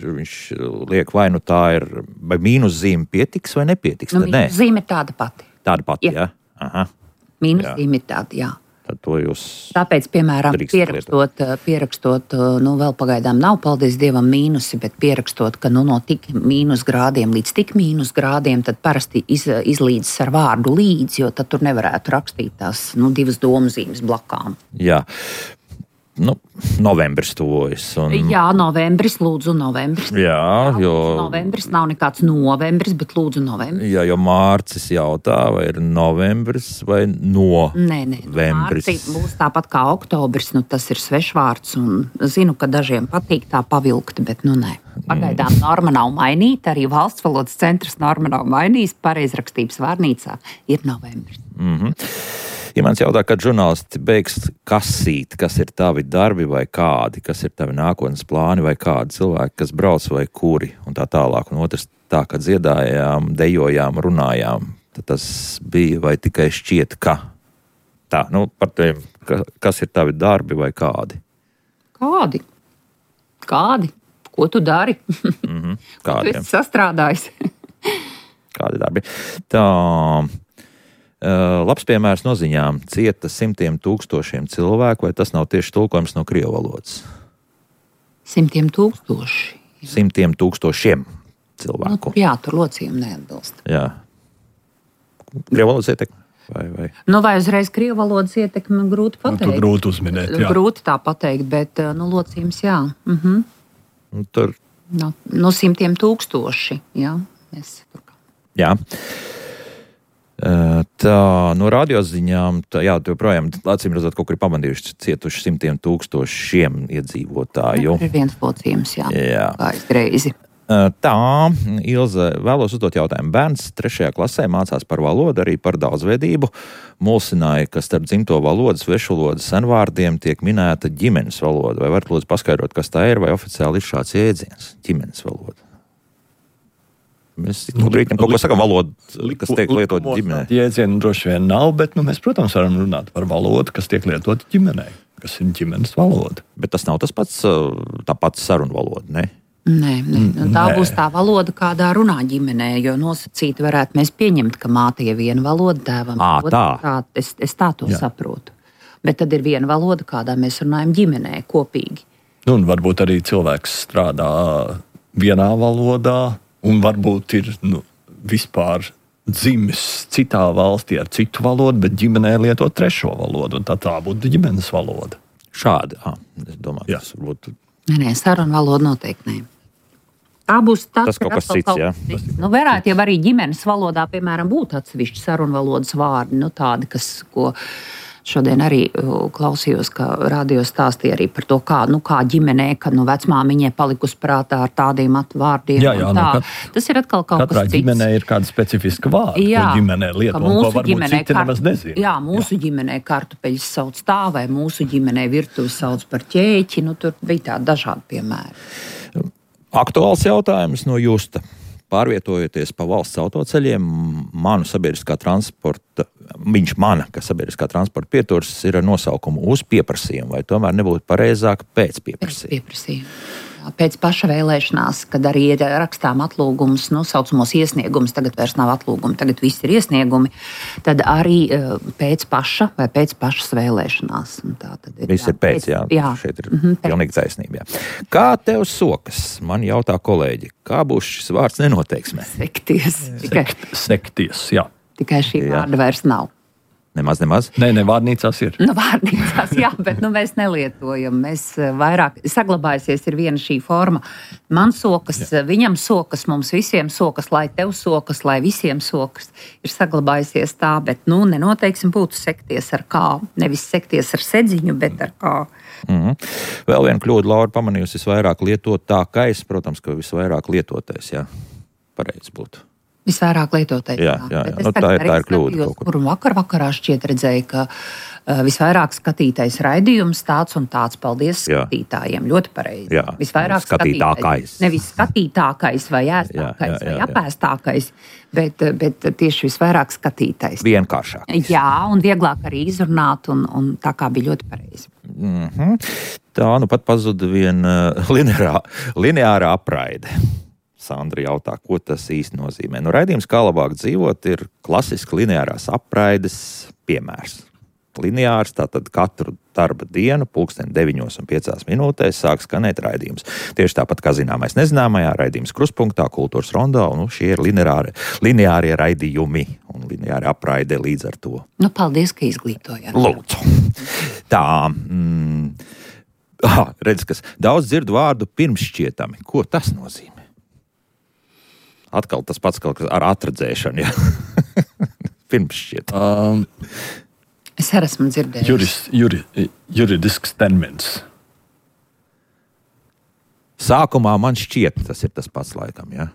viņš liek vai nu tā ir, vai mīnuszīme pietiks vai nepietiks. Nu, Tad nē, mīnuszīme ir tāda pati. tāda pati, Jā. jā. Aha. Mīnuszīme ir tāda, jā. Tad to jūs... Tāpēc, piemēram, drīkst pierakstot, pierakstot, nu, vēl pagaidām nav, paldies Dievam, mīnusi, bet pierakstot, ka nu, no tik mīnus grādiem līdz tik mīnus grādiem, tad parasti iz, izlīdzas ar vārdu līdz, jo tad tur nevarētu rakstīt tās nu, divas domzīmes blakām. Jā. Nu, novembris tuvojas. Un... Jā, novembris, lūdzu, novembris. Jā, jo... Novembris nav nekāds novembris, bet lūdzu, novembris. Jā, jo Mārcis jautā, vai ir novembris vai Nē, nē, novembris. Mārci būs tāpat kā oktobris, nu tas ir svešvārds, un zinu, ka dažiem patīk tā pavilkt, bet nu nē. Pagaidām norma nav mainīta, arī valsts valodas centrs norma nav mainījis, pareizrakstības vārnīcā ir novembris. Mhm. Ja mans jautā, kad žurnālisti beigs kasīt, kas ir tavi darbi vai kādi, kas ir tavi nākotnes plāni vai kādi cilvēki, kas brauc vai kuri un tā tālāk. Un otrs tā, kad dziedājām, dejojām, runājām, tad tas bija vai tikai šķiet, ka tā, nu par tiem, ka, kas ir tavi darbi vai kādi. Kādi? Kādi? Ko tu dari? Mhm, Tu kādiem. esi sastrādājis. Kādi darbi. Tā... Uh, labs piemērs no ziņām. Cieta simtiem tūkstošiem cilvēku, vai tas nav tieši tulkojums no krievu valodas? Simtiem tūkstoši. Simtiem tūkstošiem Nu, cilvēku. jā, tur locījumi neatbilst. Jā. Krievu valodas ietekme? Vai, vai? Nu, vai uzreiz krievu valodas ietekme grūti pateikt? Nu, grūti uzminēt, jā. Grūti tā pateikt, bet nu, locījums jā. Mhm. Nu, tur... No, no simtiem tūkstoši, jā. Es... Jā. Tā, no radioziņām, tā, jā, tu joprojām, acīm redzot, kaut kur ir pamandījuši cietuši simtiem tūkstošiem iedzīvotāju. Ir viens locījums, jā. Jā. Gājis greizi. Tā, Ilze, vēlos uzdot jautājumu. Bērns trešajā klasē mācās par valodu, arī par daudzveidību. Mulsināja, ka starp dzimto valodas, svešvalodas senvārdiem tiek minēta ģimenes valoda. Vai varat lūdzu paskaidrot, kas tā ir, vai oficiāli ir šāds jēdziens - ģimenes valoda? Mēs nu, brīdiem kaut ko sakam valodu, kas tiek lietot ģimenē. Jēdzienu droši vien nav, bet nu, mēs, protams, varam runāt par valodu, kas tiek lietot ģimenē, kas ir ģimenes valoda. Bet tas nav tas pats, tā pats sarunu valoda, ne? Nē, nē. Tā Nē. būs tā valoda, kādā runā ģimenē, jo nosacīti varētu mēs pieņemt, ka māte ir viena valoda, tēvam Ā, otra. tā. tā. Es, es tā to Jā. saprotu. Bet tad ir viena valoda, kādā mēs runājam ģimenē, kopīgi. Nu, un varbūt arī cilvēks strādā vienā valodā, un varbūt ir nu, vispār dzimis citā valstī ar citu valodu, bet ģimenē lieto trešo valodu, un tā, tā būtu ģimenes valoda. Šādi, ah, es domāju, Jā. tas varbūt... Nē, nē, saruna valoda noteikti nē. Tā būs tas, Tas kaut kas cits, jā. Nu, varētu jau arī ģimenes valodā, piemēram, būt atsevišķi sarunvalodas vārdi, nu tādi, kas, ko šodien arī uh, klausījos, ka radio stāstīja arī par to, kā, nu, kā ģimenē, ka nu, vecmāmiņai palikusi prātā ar tādiem vārdiem. Jā, jā, un tā. nu, kat- Tas ir atkal kaut Katrā kas cits. ģimenē ir kāda specifiska vārda, Jā, ko ģimenē lieto, ka un ko mūsu varbūt ģimenē citi kar- nemaz nezina. Jā, mūsu jā. ģimenē kartupeļus sauc tā, vai mūsu ģimenē virtuvi sauc par ķēķi. Nu, tur bija tādi dažādi piemēri. Aktuāls jautājums no Justa. Pārvietojoties pa valsts autoceļiem, manu sabiedriskā transporta, viņš mana, ka sabiedriskā transporta pieturs ir ar nosaukumu uz pieprasījumu, vai tomēr nebūtu pareizāk pēc Pēc pieprasījuma? pieprasījuma. Pēc paša vēlēšanās, kad arī ir rakstām atlūgums, nu, saucamos iesniegumus, tagad vairs nav atlūgumi, tagad viss ir iesniegumi, tad arī uh, pēc paša vai pēc pašas vēlēšanās. Un tā tad ir, Viss ir pēc, jā. jā. Šeit ir Mhm, pēc. pilnīgi taisnība. Jā. Kā tev sokas? Man jautā kolēģi, kā būs šis vārds nenoteiksmē? Sekties. Tikai, Sekties, jā. tikai šī Jā. vārda vairs nav. Nemaz, nemaz. Nē, ne vārnīcās ir. Nu, vārnīcās, jā, bet nu, mēs nelietojam. Mēs eh, vairāk saglabājusies ir viena šī forma. Man sokas, jā. Viņam sokas, mums visiem sokas, lai tev sokas, lai visiem sokas. Ir saglabājusies tā, bet nu, nenoteiksim būtu sekties ar kā. Nevis sekties ar sedziņu, bet ar kā. Mhm. Vēl viena kļūda, Laura pamanījusi, visvairāk lietotākais, protams, ka visvairāk lietotais, jā, pareizi būtu. Visvairāk lietotais. Jā, jā, jā. Bet es Nu, tā tagad ir- tā arī ir kļūda skatījos, kaut kur. Kur vakar vakarā šķiet redzēju, ka uh, visvairāk skatītais raidījums tāds un tāds. Paldies Jā. skatītājiem. Ļoti pareizi. Jā. Visvairāk Skatītākais. skatītais. Nevis skatītākais vai ēstākais Jā, jā, jā, vai jā. apēstākais, bet, bet tieši visvairāk skatītais. Vienkāršāk. Jā, un vieglāk arī izrunāt, un, un tā kā bija ļoti pareizi. Mhm. Tā nu pat pazuda viena uh, lineārā, lineārā apraide. Sandra jautā, ko tas īsti nozīmē. Nu, raidījums Kā labāk dzīvot ir klasiski lineārās apraides piemērs. Lineārs, tātad katru darba dienu, pulksten deviņos un piecās minūtēs sāk skanēt raidījums. Tieši tāpat kā zināmais nezināmajā, raidījums Kruspunktā, Kultūras rondā, un nu, šie ir lineāri, lineārie raidījumi un lineāri apraide līdz ar to. Nu, paldies, ka izglītojāt. Lūdzu. Tā, mm, ah, redz, kas daudz dzirdu vārdu pirmšķietami. Ko tas nozīmē? Atkal tas pats kaut kas ar atradzēšanu, jā. Pirmšķiet. Um, Es arī esmu dzirdējis. juris, juri, juridisks termins. Sākumā man šķiet, tas ir tas pats laikam, jā.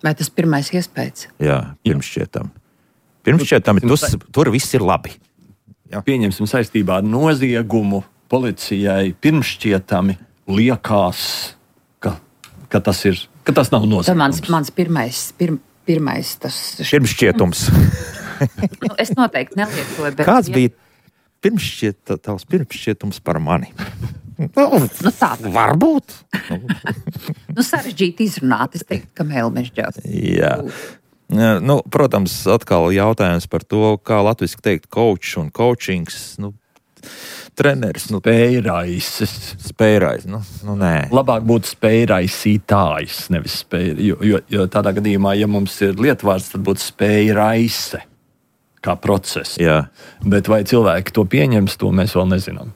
Vai tas pirmais iespējas? Jā, pirmšķietam. Pirmšķietami, tus, tur viss ir labi. Pieņemsim saistībā ar noziegumu policijai pirmšķietami liekas, ka, ka, tas, ir, ka tas nav Tas noziegums. mans, mans pirmais, pir, pirmais tas. Pirmšķietums. Nu, es noteikti nelietoju. Bet Kāds bija pirmšķiet, tavs pirmšķietums par mani? Nu, Nu, tā tā. varbūt. Nu, sarežģīti izrunāt. Es teiktu, ka mēlmežģās. Jā. Nu, protams, atkal jautājums par to, kā latviski teikt coach un coachings. Nu, treneris. Nu, spējraises. Spējrais, nu, nu nē. Labāk būtu spējraisītājs, nevis spēj, jo, jo, jo tādā gadījumā, ja mums ir lietvārds, tad būtu spējraise kā process. Jā. Bet vai cilvēki to pieņems, to mēs vēl nezinām.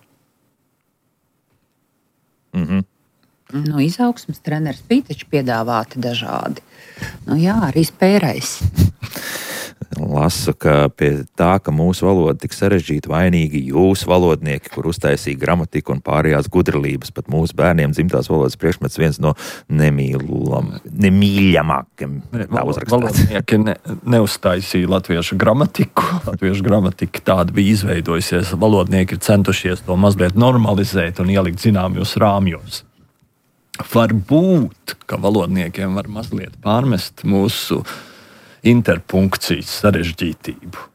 Mhm. Nu, izaugsmes treneris bija taču piedāvāti dažādi. Nu, jā, arī spērais. Lasu, ka pie tā, ka mūsu valoda tik sarežģīta, vainīgi jūsu valodnieki, kur uztaisīja gramatiku un pārējās gudrības. Pat mūsu bērniem dzimtās valodas priekšmets viens no nemīlam, nemīļamākiem. Tā uzrakstīts. Valodnieki ne, neuztaisīja latviešu gramatiku. Latviešu gramatika tāda bija izveidojusies. Valodnieki ir centušies to mazliet normalizēt un ielikt zināmos rāmjos. Varbūt, ka valodniekiem var mazliet pārmest mūsu interpunkcijas sarežģītību,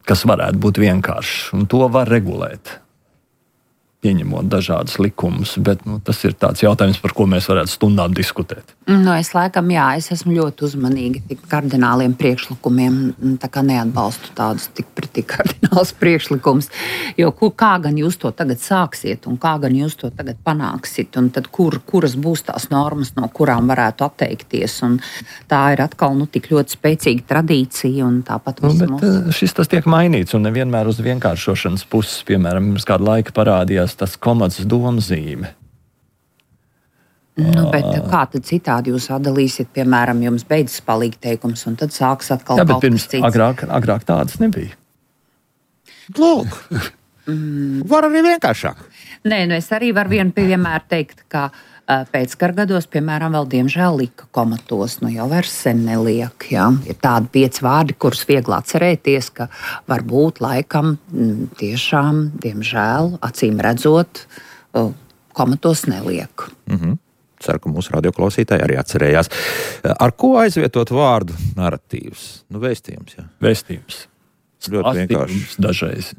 kas varētu būt vienkāršs, un to var regulēt, pieņemot dažādas likumus, bet nu, tas ir tāds jautājums, par ko mēs varētu stundām diskutēt. Nu, es laikam, jā, es esmu ļoti uzmanīga tik kardināliem priekšlikumiem, tā kā neatbalstu tādus tik pretī kardināls priekšlikums, jo kur, kā gan jūs to tagad sāksiet un kā gan jūs to tagad panāksiet, un tad kur, kuras būs tās normas, no kurām varētu atteikties, un tā ir atkal nu, tik ļoti spēcīga tradīcija, un tāpat Nu, bet mums... šis tas tiek mainīts, un nevienmēr uz vienkāršošanas puses, piemēram, pirms kādu laiku parādījās tas komatas domzīme. Nu, bet kā tad citādi jūs atdalīsiet, piemēram, jums beidzas palīgi teikums, un tad sāks atkal Jā, bet kaut pirms kas cits? agrāk, agrāk tādas nebija. Lūk, var arī vienkāršāk. Nē, nu es arī varu vienu piemēru teikt, ka uh, pēckara gados, piemēram, vēl diemžēl lika komatos, nu jau vairs sen neliek, jā. Ir tādi pieci vārdi, kurus viegli atcerēties, ka varbūt laikam m, tiešām, diemžēl, acīm redzot, uh, komatos neliek. Mhm. Ceru, ka mūsu radioklausītāji arī atcerējās. Ar ko aizvietot vārdu narratīvs? Nu, vēstījums, jā. Vēstījums. Ļoti vienkārši. Dažreiz.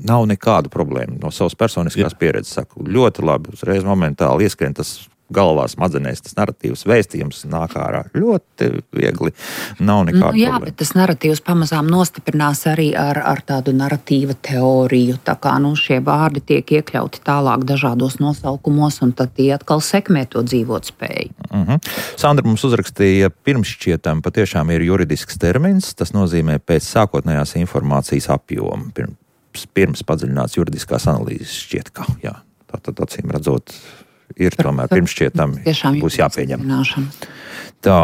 Nav nekādu problēmu. No savas personiskās jā. pieredzes saku, ļoti labi, uzreiz momentāli ieskrien tas galvā smadzenēs, tas narratīvs vēstījums nāk ārā. Ļoti viegli, nav nekāda nu, jā, problēma. bet tas narratīvs pamazām nostiprinās arī ar, ar tādu narratīva teoriju, tā kā nu, šie vārdi tiek iekļauti tālāk dažādos nosaukumos, un tad tie atkal sekmē to dzīvot spēju. Uh-huh. Sandra mums uzrakstīja, pirmšķietam patiešām ir juridisks termins, tas nozīmē pēc sākotnējās informācijas apjoma, pirms, pirms padziļināts juridiskās analīzes šķiet, ka jā, tātad acīm redzot, ir tomēr pirmšķietam būs jāpieņem. Tā.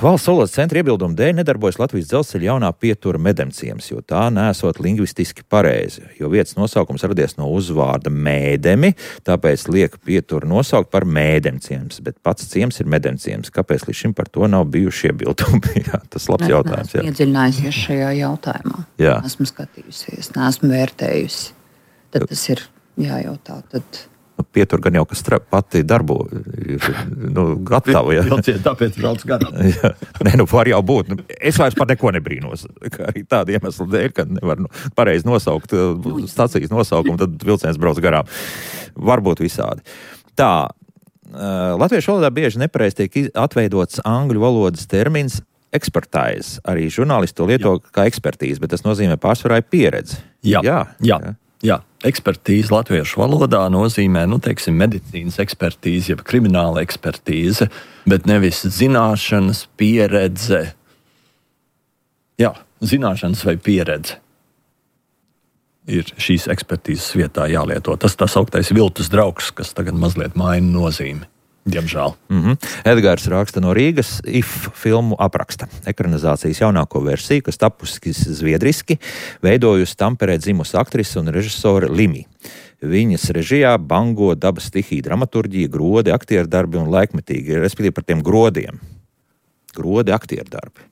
Valsts valodas centra iebildumu dēļ nedarbojas Latvijas dzelzceļa jaunā pietura Medemciems, jo tā nesot lingvistiski pareizi, jo vietas nosaukums radies no uzvārda mēdemi, tāpēc liek pieturu nosaukt par Mēdemciems, bet pats ciems ir Medemciems. Kāpēc līdz šim par to nav bijuši iebildumi? Jā, tas labs jautājums. Esmu iedziļinājusies šajā jautājumā. Jā. Esmu skatījusies, neesmu vērtējusi. Tad tas ir jājautā. Tad... Nu, pietur gan jau, kas tra- pati darbo ir nu, gatava. Ja? Vilciet, tāpēc brauc garām. Jā. Nē, nu var jau būt. Nu, es vairs par neko nebrīnos. Kā arī tāda iemesla dēļ, ka nevar nu, pareizi nosaukt stacijas nosaukumu, tad vilciens brauc garām. Varbūt visādi. Tā, latviešu valodā bieži nepareizi tiek atveidots angļu valodas termins expertise. Arī žurnālisti to lieto Jā. kā ekspertīzi, bet tas nozīmē pārsvarā pieredzi. Jā, jā. jā. jā. Jā, ekspertīze latviešu valodā nozīmē, nu, teiksim, medicīnas ekspertīze, jeb krimināla ekspertīze, bet nevis zināšanas, pieredze. Jā, zināšanas vai pieredze ir šīs ekspertīzes vietā jālieto. Tas tā sauktais viltus draugs, kas tagad mazliet maina nozīmi. Diemžēl. Mm-hmm. Edgars raksta no Rīgas, If filmu apraksta. Ekranizācijas jaunāko versiju, kas tapusi zviedriski, veidojusi Tamperē dzimusi aktrise un režisore Limi. Viņas režijā bango dabas stihija dramaturģija, grodi, aktieru darbi un laikmetīgi, respektīvi par tiem grodiem. Grodi, aktieru darbi.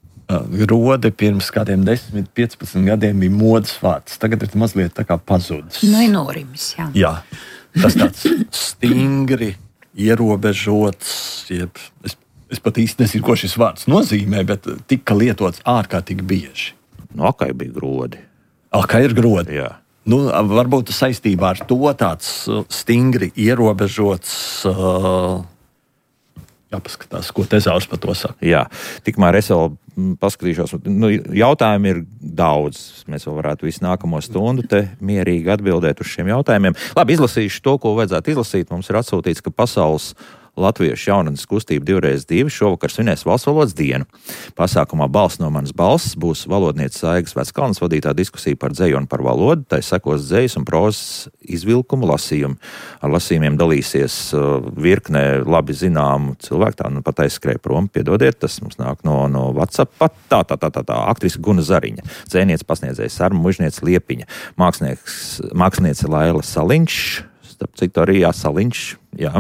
Grodi pirms kādiem desmit, piecpadsmit gadiem bija modes vārds. Tagad ir mazliet tā kā pazudis. Nu, ir norimis, jā. Jā, tas tāds stingri, ierobežots, jeb, es, es pat īsti nezinu, ko šis vārds nozīmē, bet tika lietots ārkārtīgi bieži. No akai bija grodi. Akai ir grodi. Jā. Nu, varbūt saistībā ar to tāds stingri ierobežots, uh, jāpaskatās, ko Tezaurs par to saka. Jā, tikmēr es vēl paskatīšos. Nu, jautājumi ir daudz. Mēs vēl varētu visu nākamo stundu te mierīgi atbildēt uz šiem jautājumiem. Labi, izlasīšu to, ko vajadzētu izlasīt. Mums ir atsūtīts, ka pasaules Latviešu jaunatnes kustība divreiz divi šovakar svinēs valsts valodas dienu. Pasākumā Balss no manas balss būs valodniece Saigas Veckalnes vadītā diskusija par dzeju un par valodu. Tai sekos dzejas un prozas izvilkumu lasījumu. Ar lasījumiem dalīsies uh, virknē labi zināmu cilvēku. Tā nu pat aizskrēja prom, piedodiet, tas mums nāk no, no WhatsApp. Tā, tā, tā, tā, tā, aktrise Guna Zariņa, dzēniece pasniedzēja Sarma Mužniece Liepiņa, mākslinieks, māksliniece Laila Saliņš, starp citu arī Saliņš, jā,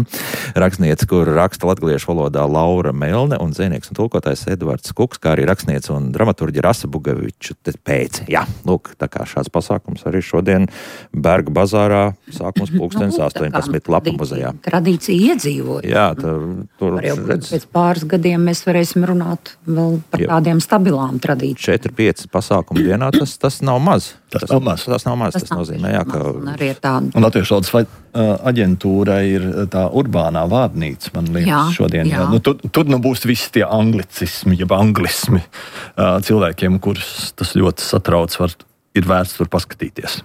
rakstniece, kur raksta latgaliešu valodā Laura Melne un dzēnieks un tulkotājs Edvards Kuks, kā arī rakstniece un dramaturģa Rasa Bugaviču pēc. Jā, lūk, tā kā šāds pasākums arī šodien Berga bazārā sākums pulkstenis Nu, astoņpadsmit Lapa muzejā. Tradīcija iedzīvoja. Jā, tā, tur Var jau redz, pēc pāris gadiem mēs varēsim runāt vēl par Jā. tādiem stabilām tradīcijām. četri pieci pasākumu dienā, tas, tas nav maz. Tas nav maz. Tas nav maz, tas, tas nozīmē, jā, ka... Un arī ir tāda. Nu, Un Latviešu valodas aģentūrai ir tā urbānā vārnīca, man liekas, Jā, šodien. jā. Nu, tur, tur nu būs visi tie anglicismi, jeb anglismi uh, cilvēkiem, kurus tas ļoti satrauc, var, ir vērts tur paskatīties.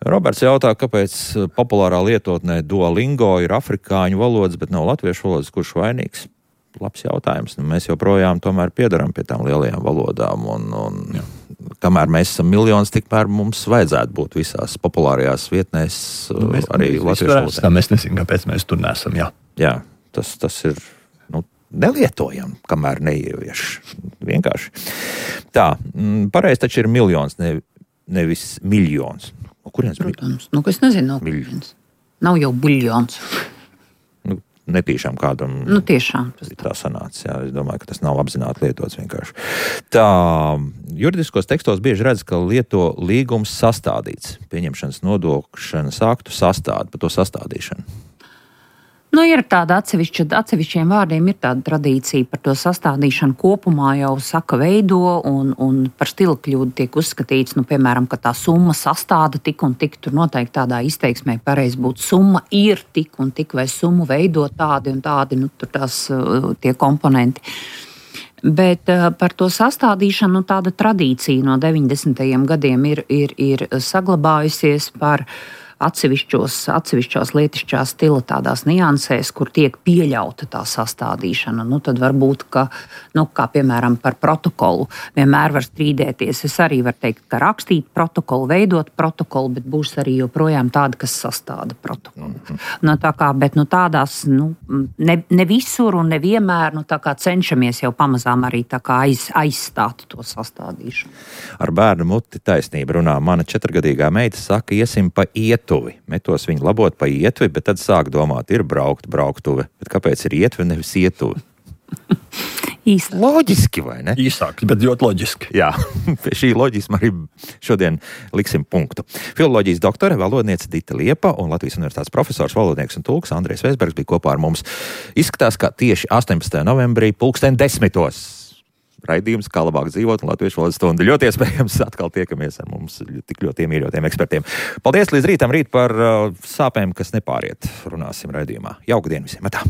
Roberts jautā, kāpēc populārā lietotnē Duolingo ir afrikāņu valodas, bet nav latviešu valodas, kurš vainīgs? Labs jautājums. Nu, mēs joprojām tomēr piedaram pie tām lielajām valodām, un, un kamēr mēs esam miljonus, tikmēr mums vajadzētu būt visās populārajās vietnēs, Nu, mēs, arī mēs latviešu valodā. Tā mēs nezinām, kāpēc mēs tur nesam, jā. Jā, tas, tas ir nu, nelietojam, kamēr neievieš. Vienkārši. Tā, mm, pareizi taču ir miljons, ne, nevis miljons. O, kurienes bija? Protams, nu, ka es nezinu, no kurienes. Nav jau buļļons. Nu, netīšām kādam Nu, tiešām. Tas tā sanāca. Jā, es domāju, ka tas nav apzināti lietots vienkārši. Tā, juridiskos tekstos bieži redz, ka lieto līgums sastādīts. Pieņemšanas nodokšanas aktu sastādi, par to sastādīšanu. Nu, ir tāda atsevišķa, atsevišķiem vārdiem ir tāda tradīcija par to sastādīšanu kopumā jau saka veido, un, un par stila kļūdu tiek uzskatīts, nu, piemēram, ka tā summa sastāda tik un tik, tur noteikti tādā izteiksmē pareizi būtu summa ir tik un tik, vai summu veido tādi un tādi, nu, tur tās tie komponenti. Bet uh, par to sastādīšanu, nu, tāda tradīcija no deviņdesmitajiem gadiem ir, ir, ir saglabājusies par atsevišķos, atsevišķos lietišķā stila tādās niansēs, kur tiek pieļauta tā sastādīšana. Nu, tad varbūt, ka, nu, kā piemēram par protokolu, vienmēr var strīdēties. Es arī varu teikt, ka rakstīt protokolu, veidot protokolu, bet būs arī joprojām tādi, kas sastāda protokolu. Nu, tā kā, bet nu, tādās, nu, ne, ne visur un nevienmēr, nu, tā kā cenšamies jau pamazām arī tā kā aiz, aizstāt to sastādīšanu. Ar bērnu muti taisnība runā. Mana četrgadīgā meita saka, iesim pa iet. Metos viņu labot pa ietvi, bet tad sāk domāt, ir braukt, brauktuve. Bet kāpēc ir ietve, nevis ietuve? Īsti. Loģiski, vai ne? Īsāk, bet ļoti loģiski. Jā, pie šī loģisma arī šodien liksim punktu. Filoloģijas doktore, valodniece Dita Liepa un Latvijas universitātes profesors, valodnieks un tulks Andrejs Vēsbergs bija kopā ar mums. Izskatās, ka tieši astoņpadsmitajā novembrī pulksten desmitos raidījums, kā labāk dzīvot un latviešu valodas stundu. Ļoti iespējams atkal tiekamies ar mums tik ļoti iemīļotiem ekspertiem. Paldies līdz rītam, rīt par uh, sāpēm, kas nepāriet. Runāsim raidījumā. Jauku dienu visiem! Atā.